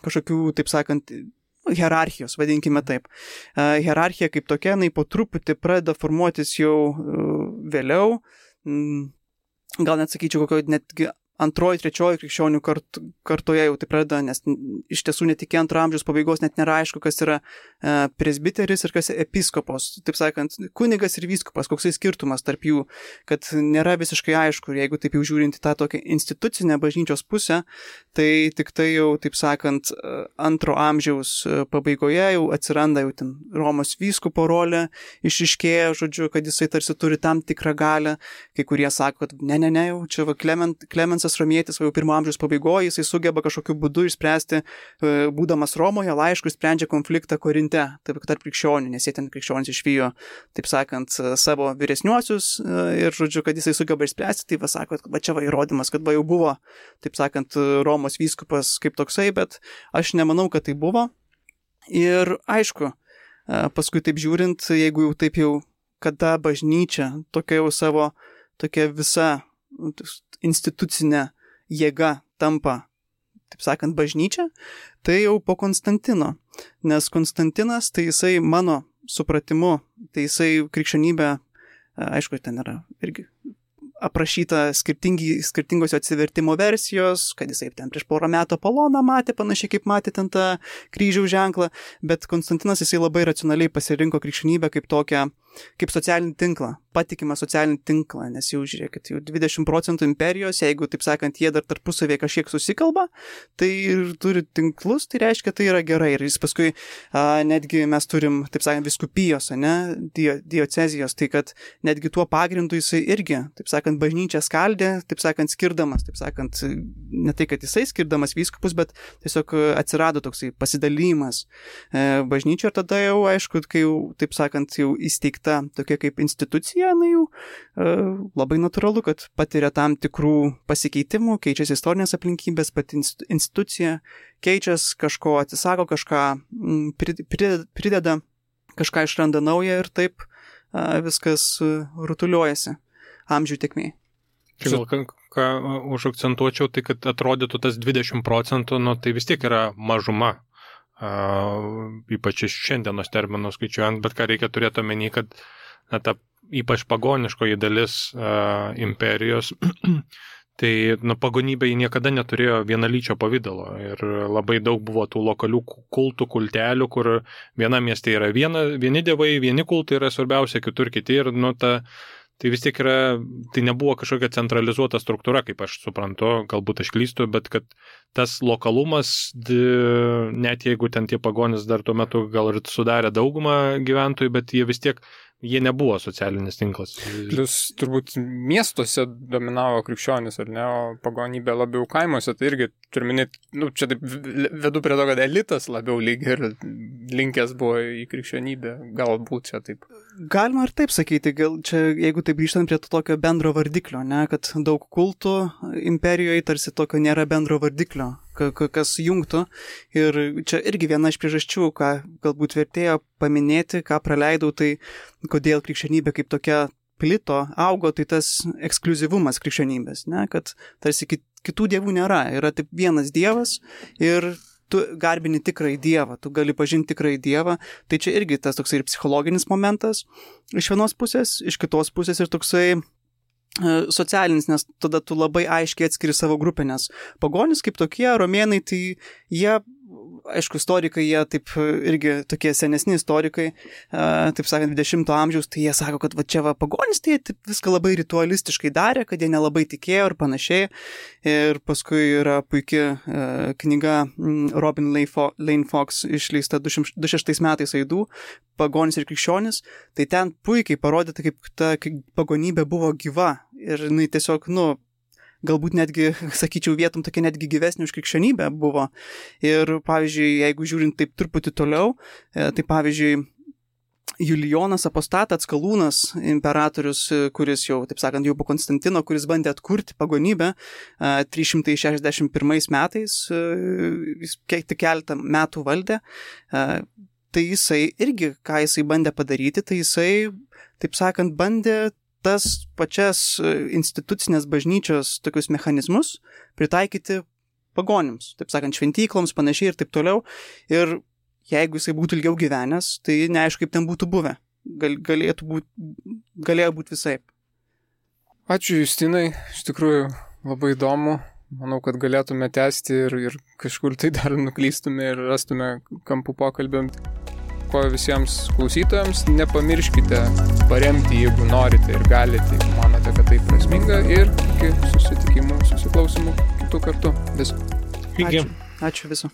kažkokių, taip sakant, hierarchijos, vadinkime taip. Hierarchija kaip tokia, jinai po truputį pradeda formuotis jau vėliau. Gal net sakyčiau, kokio netgi antroji, trečioji krikščionių kartoje jau tai pradeda, nes iš tiesų net iki antro amžiaus pabaigos net nėra aišku, kas yra presbiteris ir kas episkopos. Taip sakant, kunigas ir vyskupas, koksai skirtumas tarp jų, kad nėra visiškai aišku. Jeigu taip jau žiūrint į tą tokią institucinę bažnyčios pusę, tai tik tai jau, taip sakant, antro amžiaus pabaigoje jau atsiranda jau ten Romos vyskupo rolė, išryškėja, žodžiu, kad jisai tarsi turi tam tikrą galią. Kai kurie sako, kad ne, jau čia va Klemensas Romietis, jau pirmo amžiaus pabaigoje, jisai sugeba kažkokiu būdu išspręsti, būdamas Romoje, laišku sprendžia konfliktą Korinte, tarp krikščionių, nes jie ten krikščionys išvijo, taip sakant, savo vyresniuosius ir, žodžiu, kad jisai sugeba išspręsti, tai va sako, kad va čia va įrodymas, kad va jau buvo, taip sakant, Romos vyskupas kaip toksai, bet aš nemanau, kad tai buvo. Ir aišku, paskui taip žiūrint, jeigu jau taip jau, kada bažnyčia tokia jau savo, tokia visa institucinė jėga tampa, taip sakant, bažnyčia, tai jau po Konstantino. Nes Konstantinas, tai jisai mano supratimu, tai jisai krikščionybė, aišku, ten yra irgi aprašyta skirtingos atsivertimo versijos, kad jisai ten prieš porą metų Apoloną matė, panašiai kaip matė ten tą kryžiaus ženklą, bet Konstantinas jisai labai racionaliai pasirinko krikščionybę kaip tokią, kaip socialinį tinklą, patikimą socialinį tinklą, nes jau žiūrėkit, jau 20% imperijos, jeigu, taip sakant, jie dar tarpusavėje kažkiek susikalba, tai ir turi tinklus, tai reiškia, tai yra gerai. Ir jis paskui, netgi mes turim, taip sakant, viskupijos, diocezijos, tai kad netgi tuo pagrindu jisai irgi, taip sakant, bažnyčią skaldė, taip sakant, skirdamas, taip sakant, ne tai, kad jisai skirdamas vyskupus, bet tiesiog atsirado toksai pasidalymas bažnyčio ir tada jau, aišku, kai jau, taip sakant, jau įsteigta tokia kaip institucija, na jau labai natūralu, kad patiria tam tikrų pasikeitimų, keičiasi istorinės aplinkybės, pati institucija keičiasi, kažko atsisako, kažką prideda, kažką išranda naują ir taip viskas rutuliuojasi amžių tėkmėje. Gal ką užakcentuočiau, tai kad atrodytų tas 20%, nu tai vis tiek yra mažuma. Ypač iš šiandienos terminų skaičiuojant, bet ką reikia turėti omeny, kad ta ypač pagoniškoji dalis imperijos, tai pagonybė jį niekada neturėjo vienalyčio pavydalo ir labai daug buvo tų lokalių kultų, kultelių, kur viena mieste yra vieni dievai, vieni kultai yra svarbiausia, kitur kiti ir tai vis tiek tai nebuvo kažkokia centralizuota struktūra, kaip aš suprantu, galbūt aš klystu, bet kad tas lokalumas, net jeigu ten tie pagonys dar tuo metu gal ir sudarė daugumą gyventojų, bet jie nebuvo socialinis tinklas. Plius turbūt miestuose dominavo krikščionis, ar ne, o pagonybė labiau kaimuose, tai irgi turime, čia taip vedu prie to, kad elitas labiau lyg ir linkęs buvo į krikščionybę, galbūt čia taip. Galima ir taip sakyti, gal čia, jeigu taip grįžtant prie to tokio bendro vardiklio, ne, kad daug kultų imperijoje tarsi tokio nėra bendro vardiklio, kas jungtų. Ir čia irgi viena iš priežasčių, ką galbūt vertėjo paminėti, ką praleidau, tai kodėl krikščionybė kaip tokia plito, augo, tai tas ekskliuzivumas krikščionybės, ne, kad tarsi kitų dievų nėra, yra tik vienas dievas ir tu garbini tikrąjį dievą, tu gali pažinti tikrąjį dievą, tai čia irgi tas toksai ir psichologinis momentas iš vienos pusės, iš kitos pusės ir toksai socialinis, nes tada tu labai aiškiai atskiri savo grupę, nes pagonys kaip tokie, romėnai, tai jie, aišku, istorikai, jie taip irgi tokie senesni istorikai, taip sakant, 20 amžiaus, tai jie sako, kad va čia va pagonys, tai jie viską labai ritualistiškai darė, kad jie nelabai tikėjo ir panašiai. Ir paskui yra puikia knyga Robin Lane Fox išleista 26 metais Aidų, pagonys ir krikščionis, tai ten puikiai parodyta, kaip ta pagonybė buvo gyva ir jinai tiesiog, galbūt netgi, sakyčiau, vietom tokia netgi gyvesnė už krikščionybę buvo. Ir, pavyzdžiui, jeigu žiūrint taip truputį toliau, tai pavyzdžiui, Julijonas Apostatas Skalūnas, imperatorius, kuris jau, taip sakant, jau po Konstantino, kuris bandė atkurti pagonybę 361 metais, jis tik keletą metų valdė, tai jisai irgi, ką jisai bandė padaryti, tai jisai, taip sakant, bandė tas pačias institucinės bažnyčios tokius mechanizmus pritaikyti pagonims, taip sakant, šventykloms, panašiai ir taip toliau. Ir jeigu jisai būtų ilgiau gyvenęs, tai neaišku, kaip ten būtų buvę. Galėjo būti visaip. Ačiū, Justinai, iš tikrųjų labai įdomu. Manau, kad galėtume tęsti ir kažkur tai dar nuklystume ir rastume kampų pokalbėm. Ko visiems klausytojams, nepamirškite paremti, jeigu norite ir galite, jeigu manote, kad tai prasminga, ir iki susitikimų, susiklausimų kitų kartų. Viso. Iki. Ačiū viso.